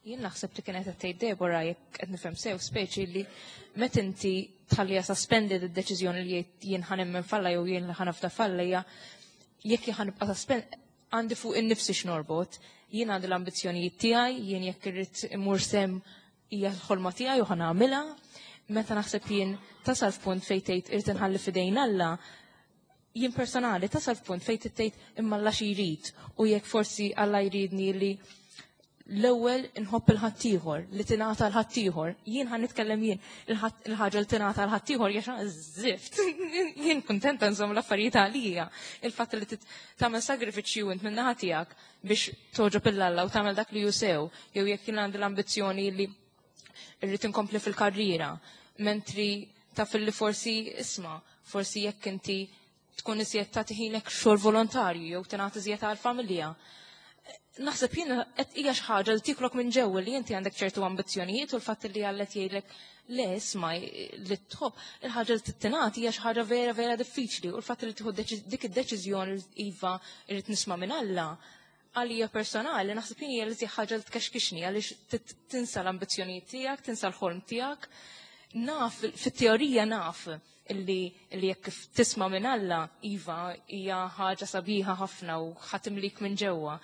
Jien naħseb li kienet qed tgħid Deborah jekk qed nifhem sew speċi li meta inti tħalliha suspended id-deċiżjoni li jien ħa nemmen f'Alla jew jien ħa nafda f'Alla hija jekk ħa nibqa' suspend għandi fuq innifsi x'norbot, jien għandi l-ambizzjonijiet tiegħi, jien jekk irrid immur sem hija l-ħolma tiegħi u ħa nagħmilha. Meta naħseb jien tasal f'punt fejn tgħid irid inħalli f'idejn Alla, jien personali tasal f'punt fejn tgħid imma Alla xi jrid u jekk forsi Alla jridni li l-ewwel inħobb il-ħaddieħor, li tingħata l-ħaddieħor. Jien ħa nitkellem jien il-ħaġa li tingħata l-ħaddieħor hija żift. Jien kuntenta nżomm l-affarijiet għalija. Il-fatt li tagħmel sagrifiċċju int min-naħa tiegħek biex toġob il-Alla u tagħmel dak li hu sew, jew jekk jien għandi l-ambizzjoni li rrid inkompli fil-karriera, mentri taf li forsi isma', forsi jekk inti tkun iżjed tagħti ħinek xogħol volontarju jew tingħati iżjed għall-familja. Naħseb jien qed hija xi ħaġa li tiklok minn ġewwa li inti għandek ċertu ambizzjonijiet u l-fatt li Alla jgħidlek le isma' li tħobb il-ħaġa li tingħati hija xi ħaġa vera vera diffiċli u l-fatt li tieħu dik id-deċiżjoni iva irrid nisma' minn Alla għalija personali naħseb jien hija li ħaġa li tkexkixni għaliex tinsa l-ambizzjonijiet tiegħek, tinsa l-ħolm tiegħek. Naf, fit-teorija naf illi jekk tisma' minn Alla, iva, hija ħaġa sabiħa ħafna u ħatimlik minn ġewwa.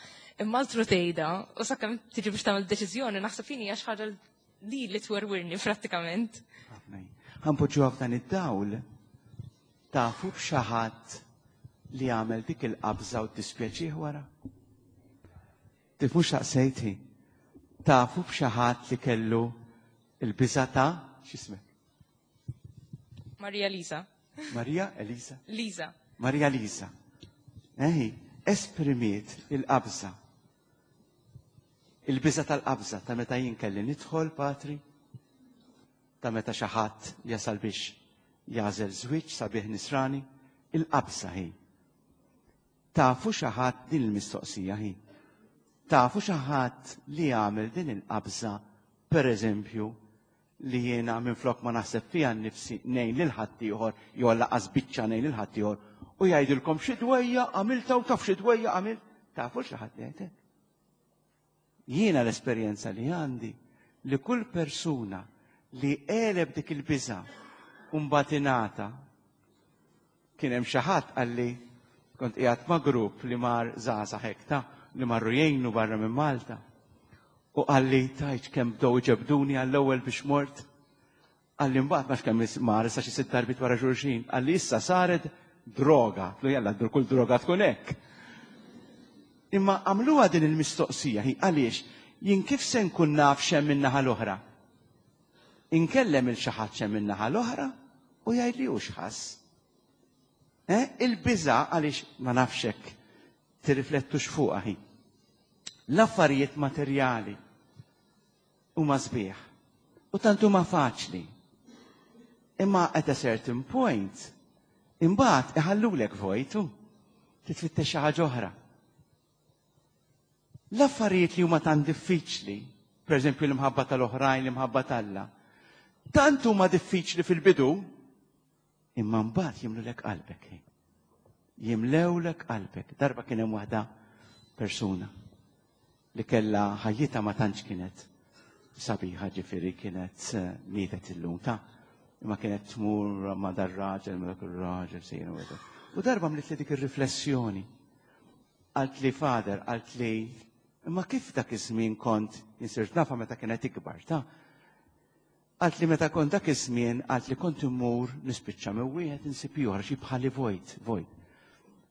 Imma altru tgħidha, u sakemm tiġi biex tagħmel deċiżjoni, naħseb jien hija xi ħaġa li twerwirni prattikament. Ħanpoġġuha f'dan id-dawl, tafu b'xi ħadd li għamel dik il-qabża u ddispjaċih wara? Tifhmux saqsejti. Tafu b'xi ħadd li kellu il-biża' ta' x'ismek? Maria Lisa. Maria Elisa? Lisa. Maria Lisa. Eħi, esprimiet il-qabża. Il-biża tal-qabża ta' meta jien kelli nidħol, patri, ta' meta xi ħadd jasal biex jagħżel żwieġ sabiħ nisrani, il-qabża hi. Tafu xi ħadd din il-mistoqsija hi. Tafu xi ħadd li jagħmel din il-qabża, per eżempju, li jiena minflok ma naħseb fija nnifsi ngħin lil ħaddieħor jew laqas biċċa ngħin lil ħaddieħor u jgħidilkom xi dwejja għamilta u taf xi dwejja għamilt. Tafu xi ħadd jgħid hekk? Jiena l-esperjenza li għandi li kull persuna li għeleb dik il-biża' u mbagħad ingħata, kien hemm xi ħadd qalli kont qiegħed ma' grupp li mar żgħażagħ hekk ta' li marru jgħinu barra minn Malta. U qalli tajt kemm bdew iġebduni għall-ewwel biex mort. Qalli mbagħad ma kemm mar issa xi sitt darbit wara xulxin. Qalli issa saret droga. Tlu jalla kull droga tkun hekk. Imma għamluha din il-mistoqsija hi għaliex jien kif se nkun naf x'hemm min-naħa l-oħra? Inkellem il xi ħadd x'hemm min-naħa l-oħra u jgħidli hu x'ħass. Il-biża' għaliex ma nafx hekk tirriflettux fuqha hi. L-affarijiet materjali huma sbieħ u tant huma faċli. Imma at a certain point, imbagħad iħallulek vojtu, titfittex xi ħaġa oħra. L-affarijiet li huma tant diffiċli, per eżempju l-imħabba tal-oħrajn, l-imħabba t'Alla, tant huma diffiċli fil-bidu, imma mbagħad jimlulek qalbek. Jimlewlek qalbek. Darba kien hemm waħda persuna li kellha ħajjitha ma tantx kienet sabiħa ġifieri kienet eh, mietet illum ta' imma kienet tmur ma dar raġel ma dak ir-raġel sejjer u U darba mlit li dik ir-riflessjoni. Qalt li fader, qalt li imma kif dak iż-żmien kont insirt nafa meta kienet ikbar ta' Qaltli meta kont dak iż-żmien qaltli kont immur nispiċċa minn wieħed insib ieħor għax bħali vojt, vojt.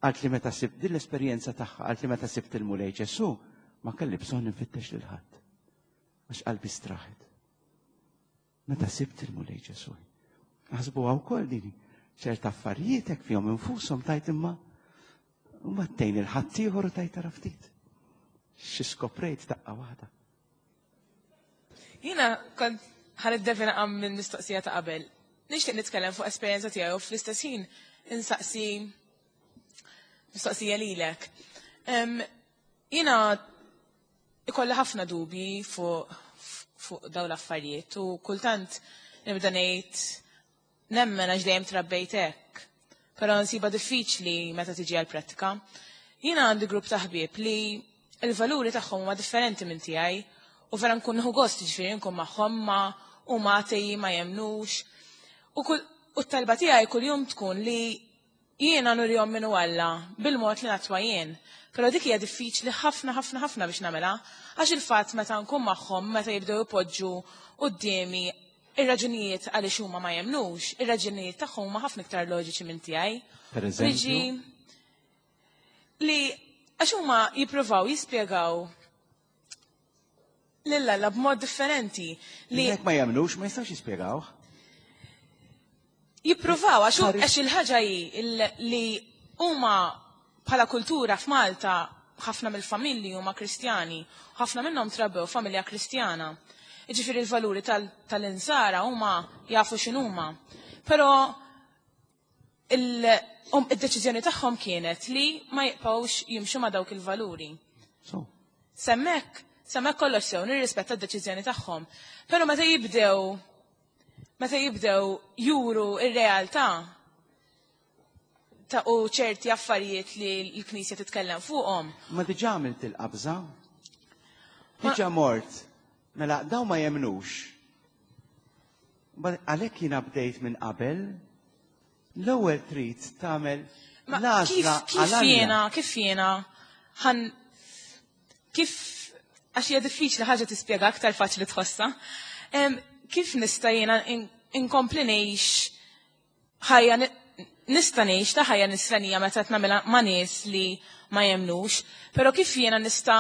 Qaltli meta sibt din l-esperjenza tagħha, qaltli meta sibt il-Mulej Ġesù, ma kelli bżonn infittex lil ħadd. Għax qalbi straħet. Meta sibt il-Mulej Ġesù. Aħsbuha wkoll din ċerta affarijiet hekk fihom infushom tajt imma u ma tgħin il-ħaddieħor u tajt tara ftit. Xi skoprejt daqqa waħda. Jiena kont ħa niddevina għam minn mistoqsija ta' qabel. Nixtieq nitkellem fuq esperjenza tiegħi u fl-istess ħin insaqsi mistoqsija lilek. Jiena ikolli ħafna dubji fuq fuq dawn l-affarijiet u kultant nibda ngħid nemmen għax dejjem trabbejt hekk. Però nsiba diffiċli meta tiġi għal-prattika. Jiena għandi grupp ta' ħbieb li il-valuri tagħhom huma differenti minn tiegħi u vera nkun nieħu gost ġifieri nkun magħhom ma huma atei ma jemnux. U kull u t-talba tiegħi kuljum tkun li jiena nurihom min hu Alla bil-mod li nattwa jien. Però dik hija diffiċli ħafna ħafna ħafna biex nagħmilha għax il-fatt meta nkun magħhom meta jibdew ipoġġu quddiemi ir-raġunijiet għaliex huma ma jemnux, ir-raġunijiet tagħhom huma ħafna iktar loġiċi minn tiegħi. Per eżempju? Li għax huma jippruvaw jispjegaw lil Alla b'mod differenti li Jekk ma jemnux ma jistax jispjegawh. Jippruvaw għax għax il-ħaġa hi li huma bħala kultura f'Malta ħafna mill-familji huma Kristjani, ħafna minnhom trabbew familja Kristjana. Jiġifieri l-valuri tal-insara huma jafu x'inhuma. Però id-deċiżjoni tagħhom kienet li ma jibqgħux jimxu ma' dawk il-valuri. S'hemmhekk, s'hemmhekk kollox sew, nirrispetta d-deċiżjoni tagħhom. Però meta jibdew juru ir-realtà ta' u ċerti affarijiet li l-Knisja titkellem fuqhom. Ma diġà għamilt il-qabża? Diġà mort. Mela, daw ma jemnux. Għalhekk jiena bdejt minn qabel, l-ewwel trid tagħmel l-għażla. Kif jiena ħan kif għax hija diffiċli ħaġa tispjega aktar faċli tħossha. Kif nista' jiena inkompli ngħix ħajja nista' ngħix ta' ħajja nisranija meta qed nagħmilha ma' nies li ma jemnux, però kif jiena nista'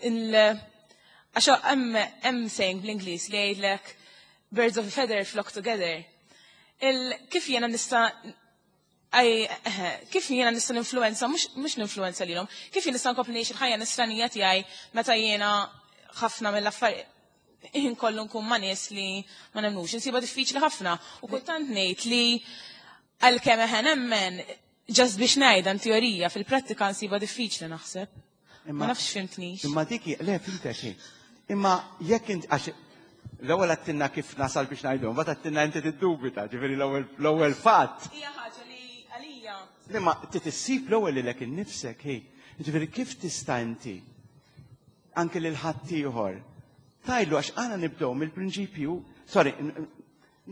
għax hemm saying bl-Ingliż li jgħidlek "Birds of a feather flock together." Kif jiena nista' kif jiena nista' ninfluenza, mhux ninfluenza lilhom, kif jien nista' nkompli ngħix il-ħajja nisranija tiegħi meta jiena ħafna mill-affarijiet ħin kollu nkun ma' nies li ma nemnux? Insiba diffiċli ħafna. U kultant ngħid li għalkemm eħe nemmen, just biex ngħidha teorija, fil-prattika nsiba diffiċli naħseb. Ma nafx fhimtnix. Imma diki, le, fhimtek. Imma jekk int, għax l-ewwel għedtilna kif nasal biex ngħidu, mbagħad għedtilna inti tiddubita, ġifieri l-ewwel fatt. Hija ħaġa li għalija. Imma trid issib l-ewwel lilek innifsek, hi. Ġifieri kif tista' inti anke lil ħaddieħor tgħidlu għax għana nibdew mill-prinċipju, sorry,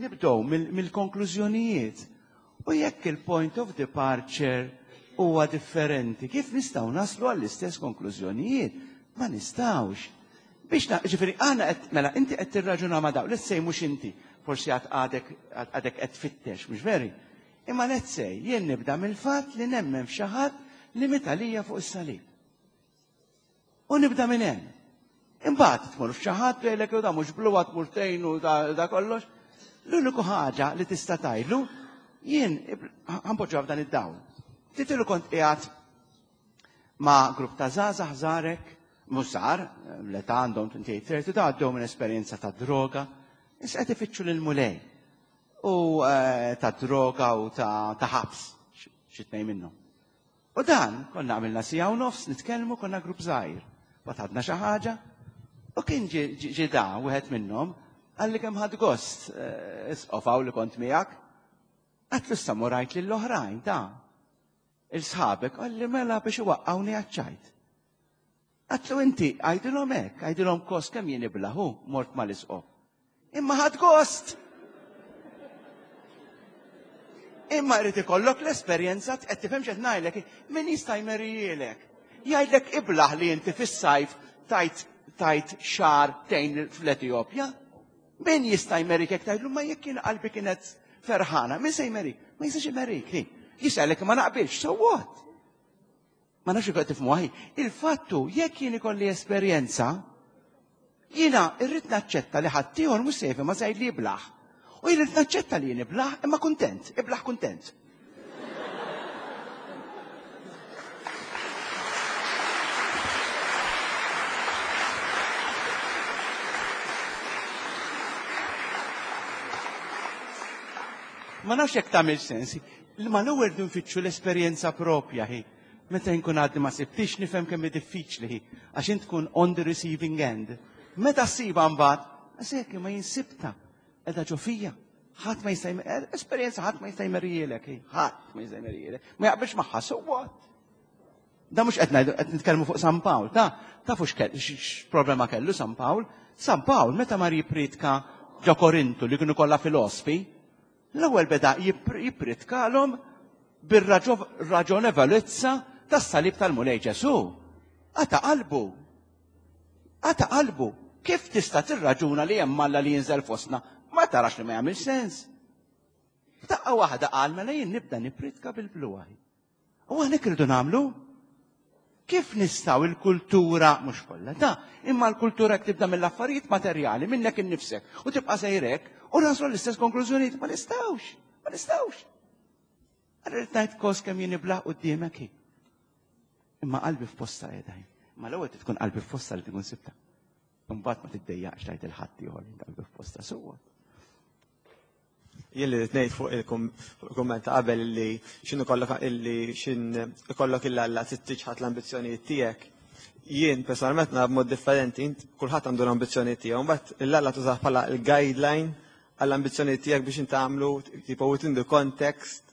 nibdew mill-konklużjonijiet. U jekk il-point of departure huwa differenti, kif nistgħu naslu għall-istess konklużjonijiet? Ma nistgħux. Biex na, ġifieri għana qed mela inti qed tirraġuna ma' daw, let's say mhux inti, forsi għad għadek qed tfittex, mhux veri? Imma let's say jien nibda mill-fatt li nemmen f'xi ħadd li miet għalija fuq is-salib. U nibda minn hemm. Imbagħad tmur f'xi ħadd jgħidlek da mhux bluwa tmur tgħin u da kollox. L-uniku ħaġa li tista' tgħidlu jien ħa npoġġu f'dan id-dawl. Titilu kont qiegħed ma' grupp ta' żgħażagħ żgħarek, mhux żgħar, l-età għandhom 28, 30 ta' għaddew minn esperjenza ta' droga, issa qed ifittxu lil-Mulej. U ta' droga u ta' ħabs, xi tnejn minnhom. U dan, konna għamilna siegħa u nofs nitkellmu, konna grupp żgħir. Batadna xi ħaġa, u kien ġi da wieħed minnhom qalli kemm ħadt gost isqof li kont miegħek. Għedtlu issa mur għid lill-oħrajn ta. Il-sħabek, qalli mela biex iwaqqawni għaċ-ċajt. Għatlu inti, għajdilhom hekk, għajdilhom kost kemm jien iblahu, mort mal-isqof. Imma ħadd gost! Imma jrid ikollok l-esperjenza qed tifhem x'qed ngħidlek, min jista' jmerijielek. Jgħidlek iblaħ li inti fis-sajf tajt tajt xahar tgħin fl-Etjopja. Min jista' jmerik jekk tgħidlu ma jekk kien qalbi kienet ferħana, min se jmerik? Ma jistax imerik. Jisgħalek ma naqbilx, so what? Ma nafx kif tifhmu ħi. Il-fattu jekk jien ikolli esperjenza, jiena irrid naċċetta li ħaddieħor mhux se ma se li jiblaħ. U jrid naċċetta li jien iblaħ imma kuntent, iblaħ kuntent. Ma nafx jekk tagħmel sens. Ma l-ewwel nfittxu l-esperjenza propja hi. Meta nkun għadni ma sibtix nifhem kemm hi diffiċli hi, għax int tkun on the receiving end. Meta ssiba mbagħad, għasek ma jinsibta, qiegħda ġo fija. Ħadd ma jista' eh, esperjenza ħadd ma jista' jmerjielek, ħadd ma jista' jmerjielek. Ma jaqbilx magħha, so what? Da mhux qed ngħidu qed nitkellmu fuq San Pawl, ta' tafu x'problema kellu San Pawl? San Pawl meta mar jippritka ġo Korintu li kienu kollha filosfi, L-ewwel beda jippritkalhom bir-raġonevolezza tas-salib tal-Mulej Ġesù. Qata' qalbu. Qata' qalbu. Kif tista' tirraġuna li hemm Alla li jinżel fostna? Ma tarax li ma jagħmel sens. F'daqqa waħda qal mela jien nibda nippritka bil-bluħ. U aħna hekk irridu nagħmlu? Kif nistgħu il-kultura, mhux kollha ta' imma l-kultura jekk tibda mill-affarijiet materjali minnek innifsek u tibqa' sejrek u naslu l-istess konklużjonijiet ma nistgħux, ma nistgħux. Rrid ngħid kos kemm jien ibla' quddiemek hi. Imma qalbi f'posta qiegħda. Ma l-ewwel tkun qalbi f'posta li tkun sibta. Imbagħad ma tiddejjaqx tgħid il-ħadd ieħor qalbi f'posta suwa. Jien li ngħid fuq il-kumment ta' qabel li x'in ikollok illi x'in ikollok il Alla trid tiċħad l-ambizzjonijiet tiegħek. Jien personalment nara b'mod differenti, int kulħadd għandu l-ambizzjonijiet tiegħu, mbagħad il-Alla tużah bħala l-guideline għall-ambizzjonijiet tiegħek biex inti tagħmlu tipo within the context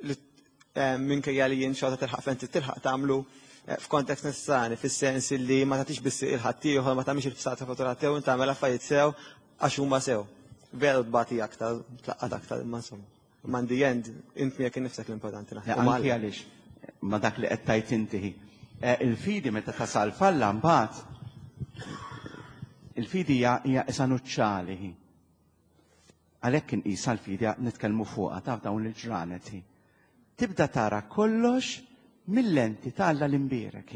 li eh, minkejja li jien xorta tilħaq fejn trid tilħaq tagħmlu eh, f'kontekst nisrani, fis-sens li ma tagħtix biss il-ħaddieħor, ma tagħmilx il-fsata fuq tiegħu, inti tagħmel affarijiet sew għax huma sew. Veru tbati aktar, tlaqqat aktar, imma insomma. Imma in the end, int miegħek innifsek l-importanti naħseb. Anki għaliex ma dak li qed tajt inti. Eh, il-fidi meta tasal falla mbagħad il-fidi hija isa nuċċali. Għalhekk inqisha l-fidi nitkellmu fuqha taf dawn il-ġranet. Tibda tara kollox mill-lenti ta' Alla l-imbierek.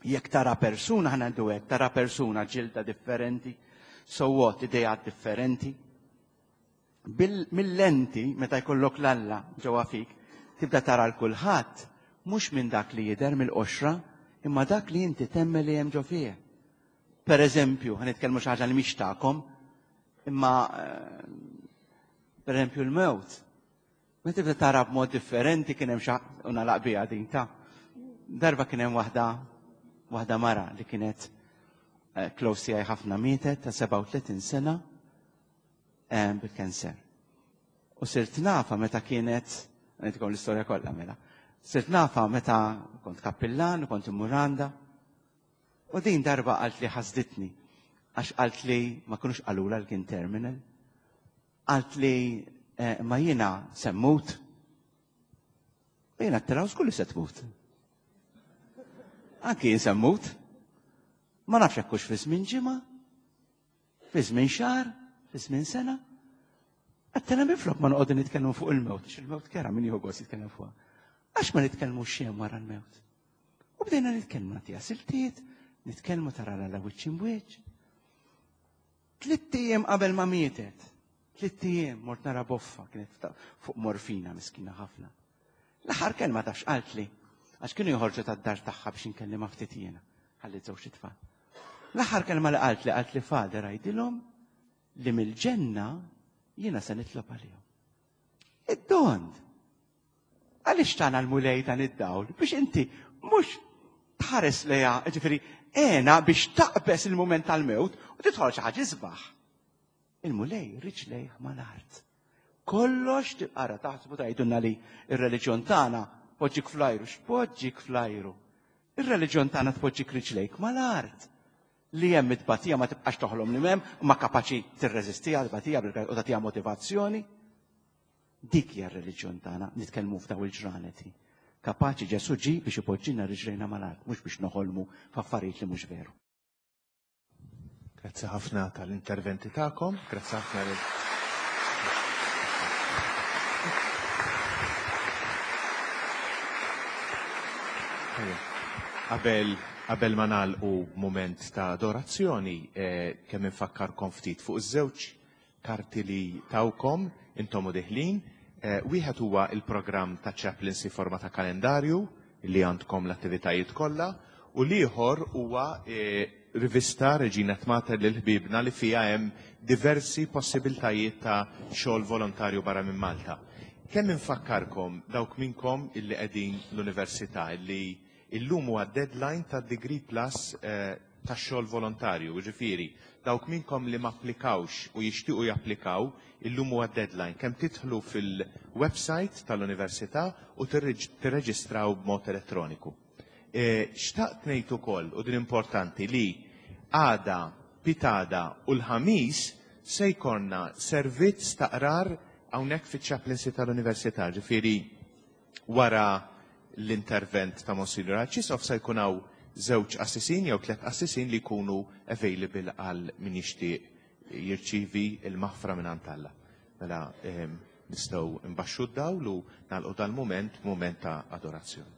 Jekk tara persuna ħa ngħidu hekk, tara persuna ġilda differenti, so what, ideat differenti. Mill-lenti meta jkollok l-Alla ġewwa fik, tibda tara l kulħadd mhux minn dak li jidher mill-qoxra, imma dak li inti temmen li hemm ġo fih. Per eżempju, ħa nitkellmu xi ħaġa li mhix tagħkom, imma eh, per eżempju l-mewt. Meta tibda tara b'mod differenti kien hemm xi u nagħlaq biha din ta' darba kien hemm waħda waħda mara li kienet eh, close tiegħi ħafna mietet ta' 37 sena eh, bil-kanser. U sirt nafa meta kienet, ngħidilkom l-istorja kollha mela. Sirt nafa meta kont kappillan u kont immur għandha. U din darba qalt li ħasditni, għax qalt li ma kinux qalula li kien terminal. Qalt li eh, ma jiena se mmut. U jiena t-telaw skulli se tmut. Anki jien se mmut. Ma nafx hekk hux fi żmien ġimgħa, fi żmien xahar, fi żmien sena. Għattena minflok ma noqogħdu nitkellmu fuq il-mewt, għax il-mewt kera min jieħu gost jitkellem fuqha. Għax ma nitkellmu xejn wara l-mewt. U bdejna nitkellmu nagħtiha siltiet, nitkellmu tara la wiċċ imwiċċ. Tlitt ijiem qabel ma mietet, tlitt ijiem mort nara boffa kienet fuq morfina miskina ħafna. L-aħħar kelma tafx qaltli, għax kienu joħorġu tad-dar tagħha biex inkellimha ftit jiena, ħalli żewġ itfal. L-aħħar kelma li qaltli qaltli father għidilhom li mill-ġenna jiena se nitlob għalihom. Id-dond. Għaliex tana l-Mulej dan id-dawl? Biex inti mhux tħares leja, ġifieri, għena biex taqbes il-mument tal-mewt u tidħol xi ħaġa isbaħ. Il-Mulej riġlejh mal-art. Kollox tibqara taħsbu tgħidulna li ir-reliġjon tagħna. Poġġik flajru, x'poġġik flajru? Ir-reliġjon tagħna tpoġġik riġlejk mal-art. Li hemm it-tbatija ma tibqax toħlom li m'hemm, ma kapaċi tirreżistiha l-tbatija u tagħtiha motivazzjoni. Dik hija r-reliġjon tagħna, nitkellmu f'daw il-ġranet. Kapaċi Ġesù ġie biex ipoġġilna riġlejna mal-art, mhux biex noħolmu f'affarijiet li mhux veru. Grazzi ħafna tal-interventi tagħkom, grazzi ħafna lil Qabel qabel ma nagħlqu mument ta' adorazzjoni, eh, kemm infakkarkom ftit fuq iż-żewġ karti li tawkom intom u deħlin. Eh, wieħed huwa il-programm ta' chaplaincy forma ta' kalendarju li għandkom l-attivitajiet kollha u l-ieħor huwa eh, rivista Regina Mater lil ħbibna li fiha hemm diversi possibiltajiet ta' xogħol volontarju barra minn Malta. Kemm infakkarkom dawk minnkom illi qegħdin l-università illi illum huwa deadline ta' Degree Plus eh, ta' xogħol volontarju, ġifieri dawk minnkom li ma applikawx u jixtiequ japplikaw, illum huwa deadline. Kemm tidħlu fil-website tal-università u tirreġistraw b'mod elettroniku. E, xtaqt ngħid ukoll, u din importanti, li għada, pitgħada u l-Ħamis se jkollna servizz ta' qrar hawnhekk fiċ-chaplaincy tal-università, ġifieri wara l-intervent ta' Monsignor Arċisqof se jkun hawn żewġ qassisin jew tliet qassisin li jkunu available għal min jixtieq jirċievi l-maħfra minn Alla. Mela nistgħu nbaxxu d-dawl u nagħlqu dal-mument mument ta' adorazzjoni.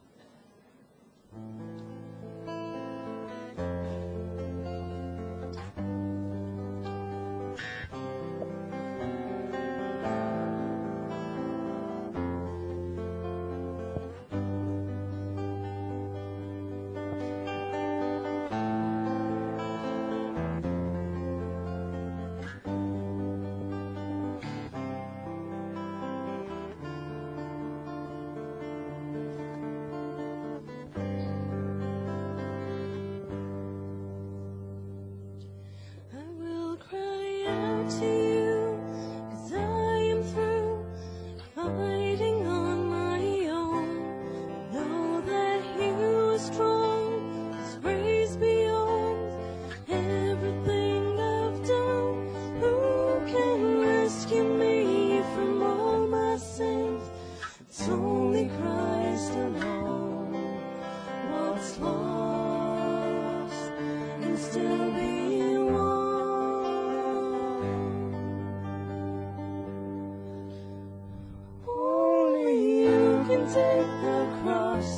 I will cry out to you, 'cause I am through fighting on my own. Know that you are strong, His grace beyond everything I've done. Who can rescue me from all my sins? It's only Christ alone. What's lost can still be won. Only you can take the cross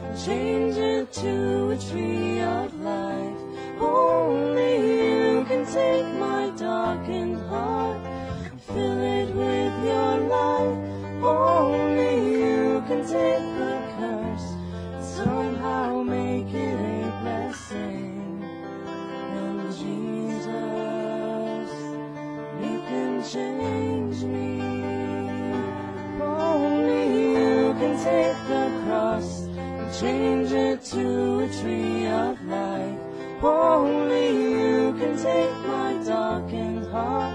and change it to a tree of life. Only you can take my darkened heart and fill it with your light. Only you can take the curse and somehow make it a blessing. And Jesus, you can change me. Only you can take the cross and change it to a tree of life. Only you can take my darkened heart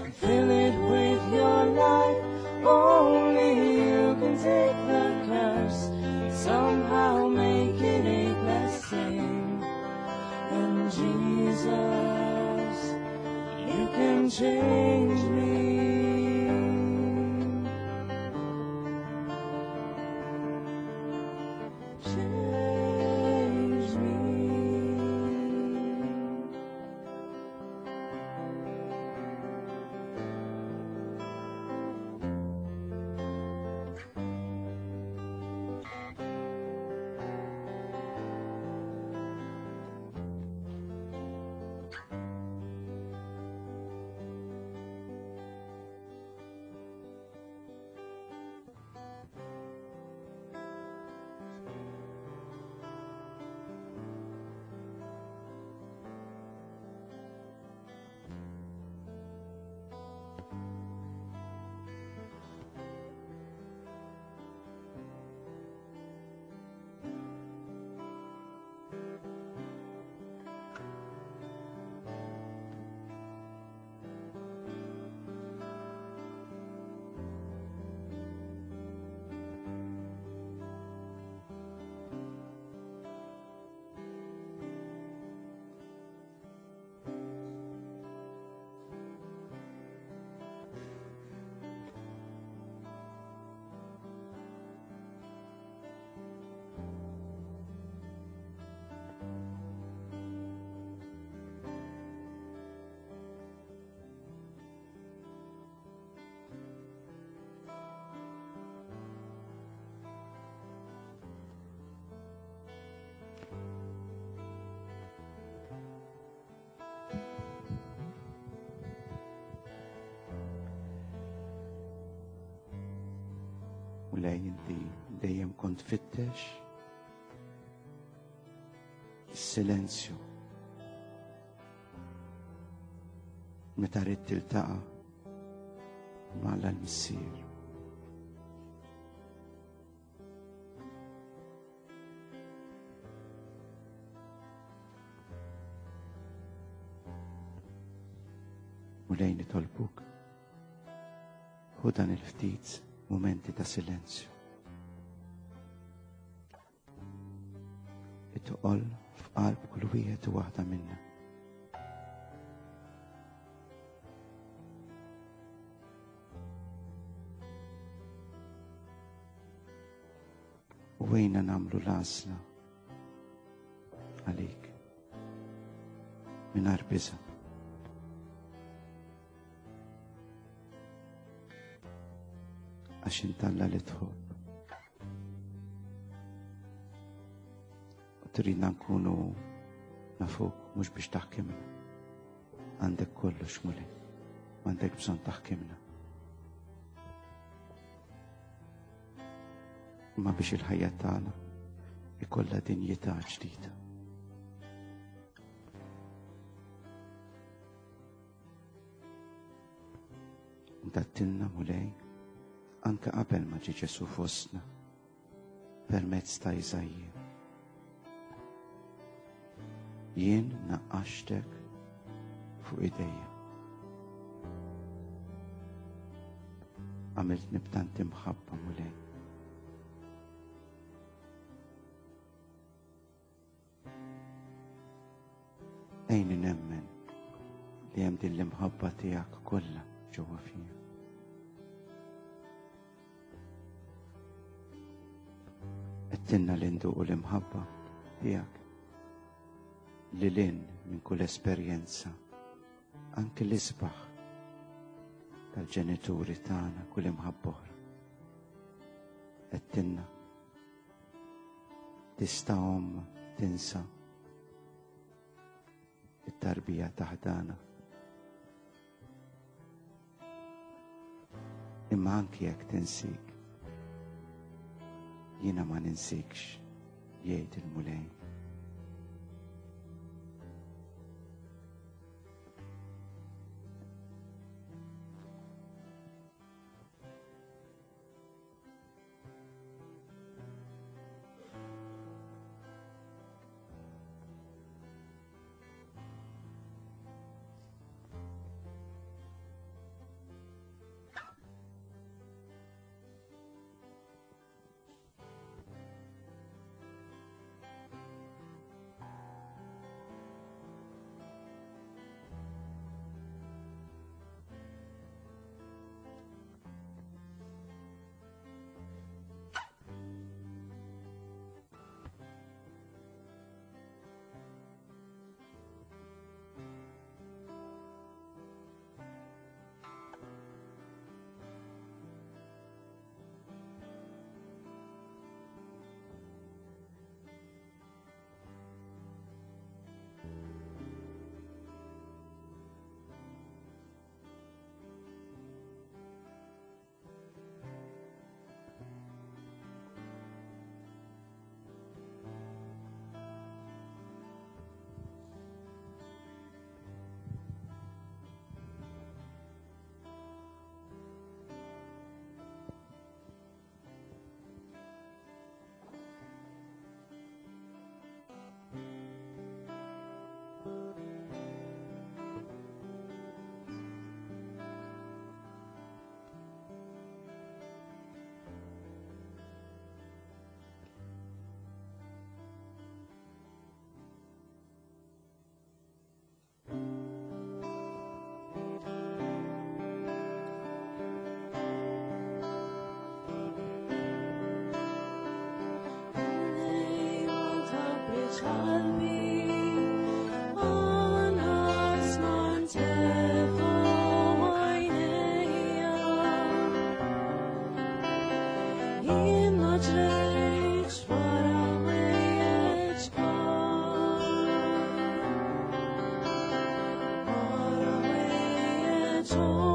and fill it with your light. Only you can take the curse and somehow make it a blessing. And Jesus, you can change me. Change me. Mulej, inti dejjem kont fittex is-silenzju. Meta ridt tiltaqa' ma' Alla l-Missier. Mulej, nitolbuk, ħu dan il-ftit mumenti ta' silenzju. Itqol f'qalb kull wieħed u waħda minna. U għejna nagħmlu l-għażla għalik mingħajr biża'. Għax int Alla li tħobb. U tridna nkunu nafuk mhux biex taħkimna. Għandek kollox, Mulej. M'għandek bżonn taħkimna. Imma biex il-ħajja tagħna ikollha dinjità ġdida. Intattilna, Mulej, anke qabel ma ġie Ġesù fostna, permezz ta' Iżaija. Jien naqqaxtek fuq idejja. Għamiltni b'tant imħabba, Mulej. Għinni nemmen li hemm din l-imħabba tiegħek kollha ġewwa fija. Għedtilna li nduqu l-imħabba tiegħek li lin minn kull esperjenza, anke l-isbaħ tal-ġenituri tagħna, kull imħabba oħra. Għedtilna tista' omm tinsa it-tarbija taħdana. Imma anki jekk tinsik, jiena ma ninsikx, jgħid il-Mulej. Oh.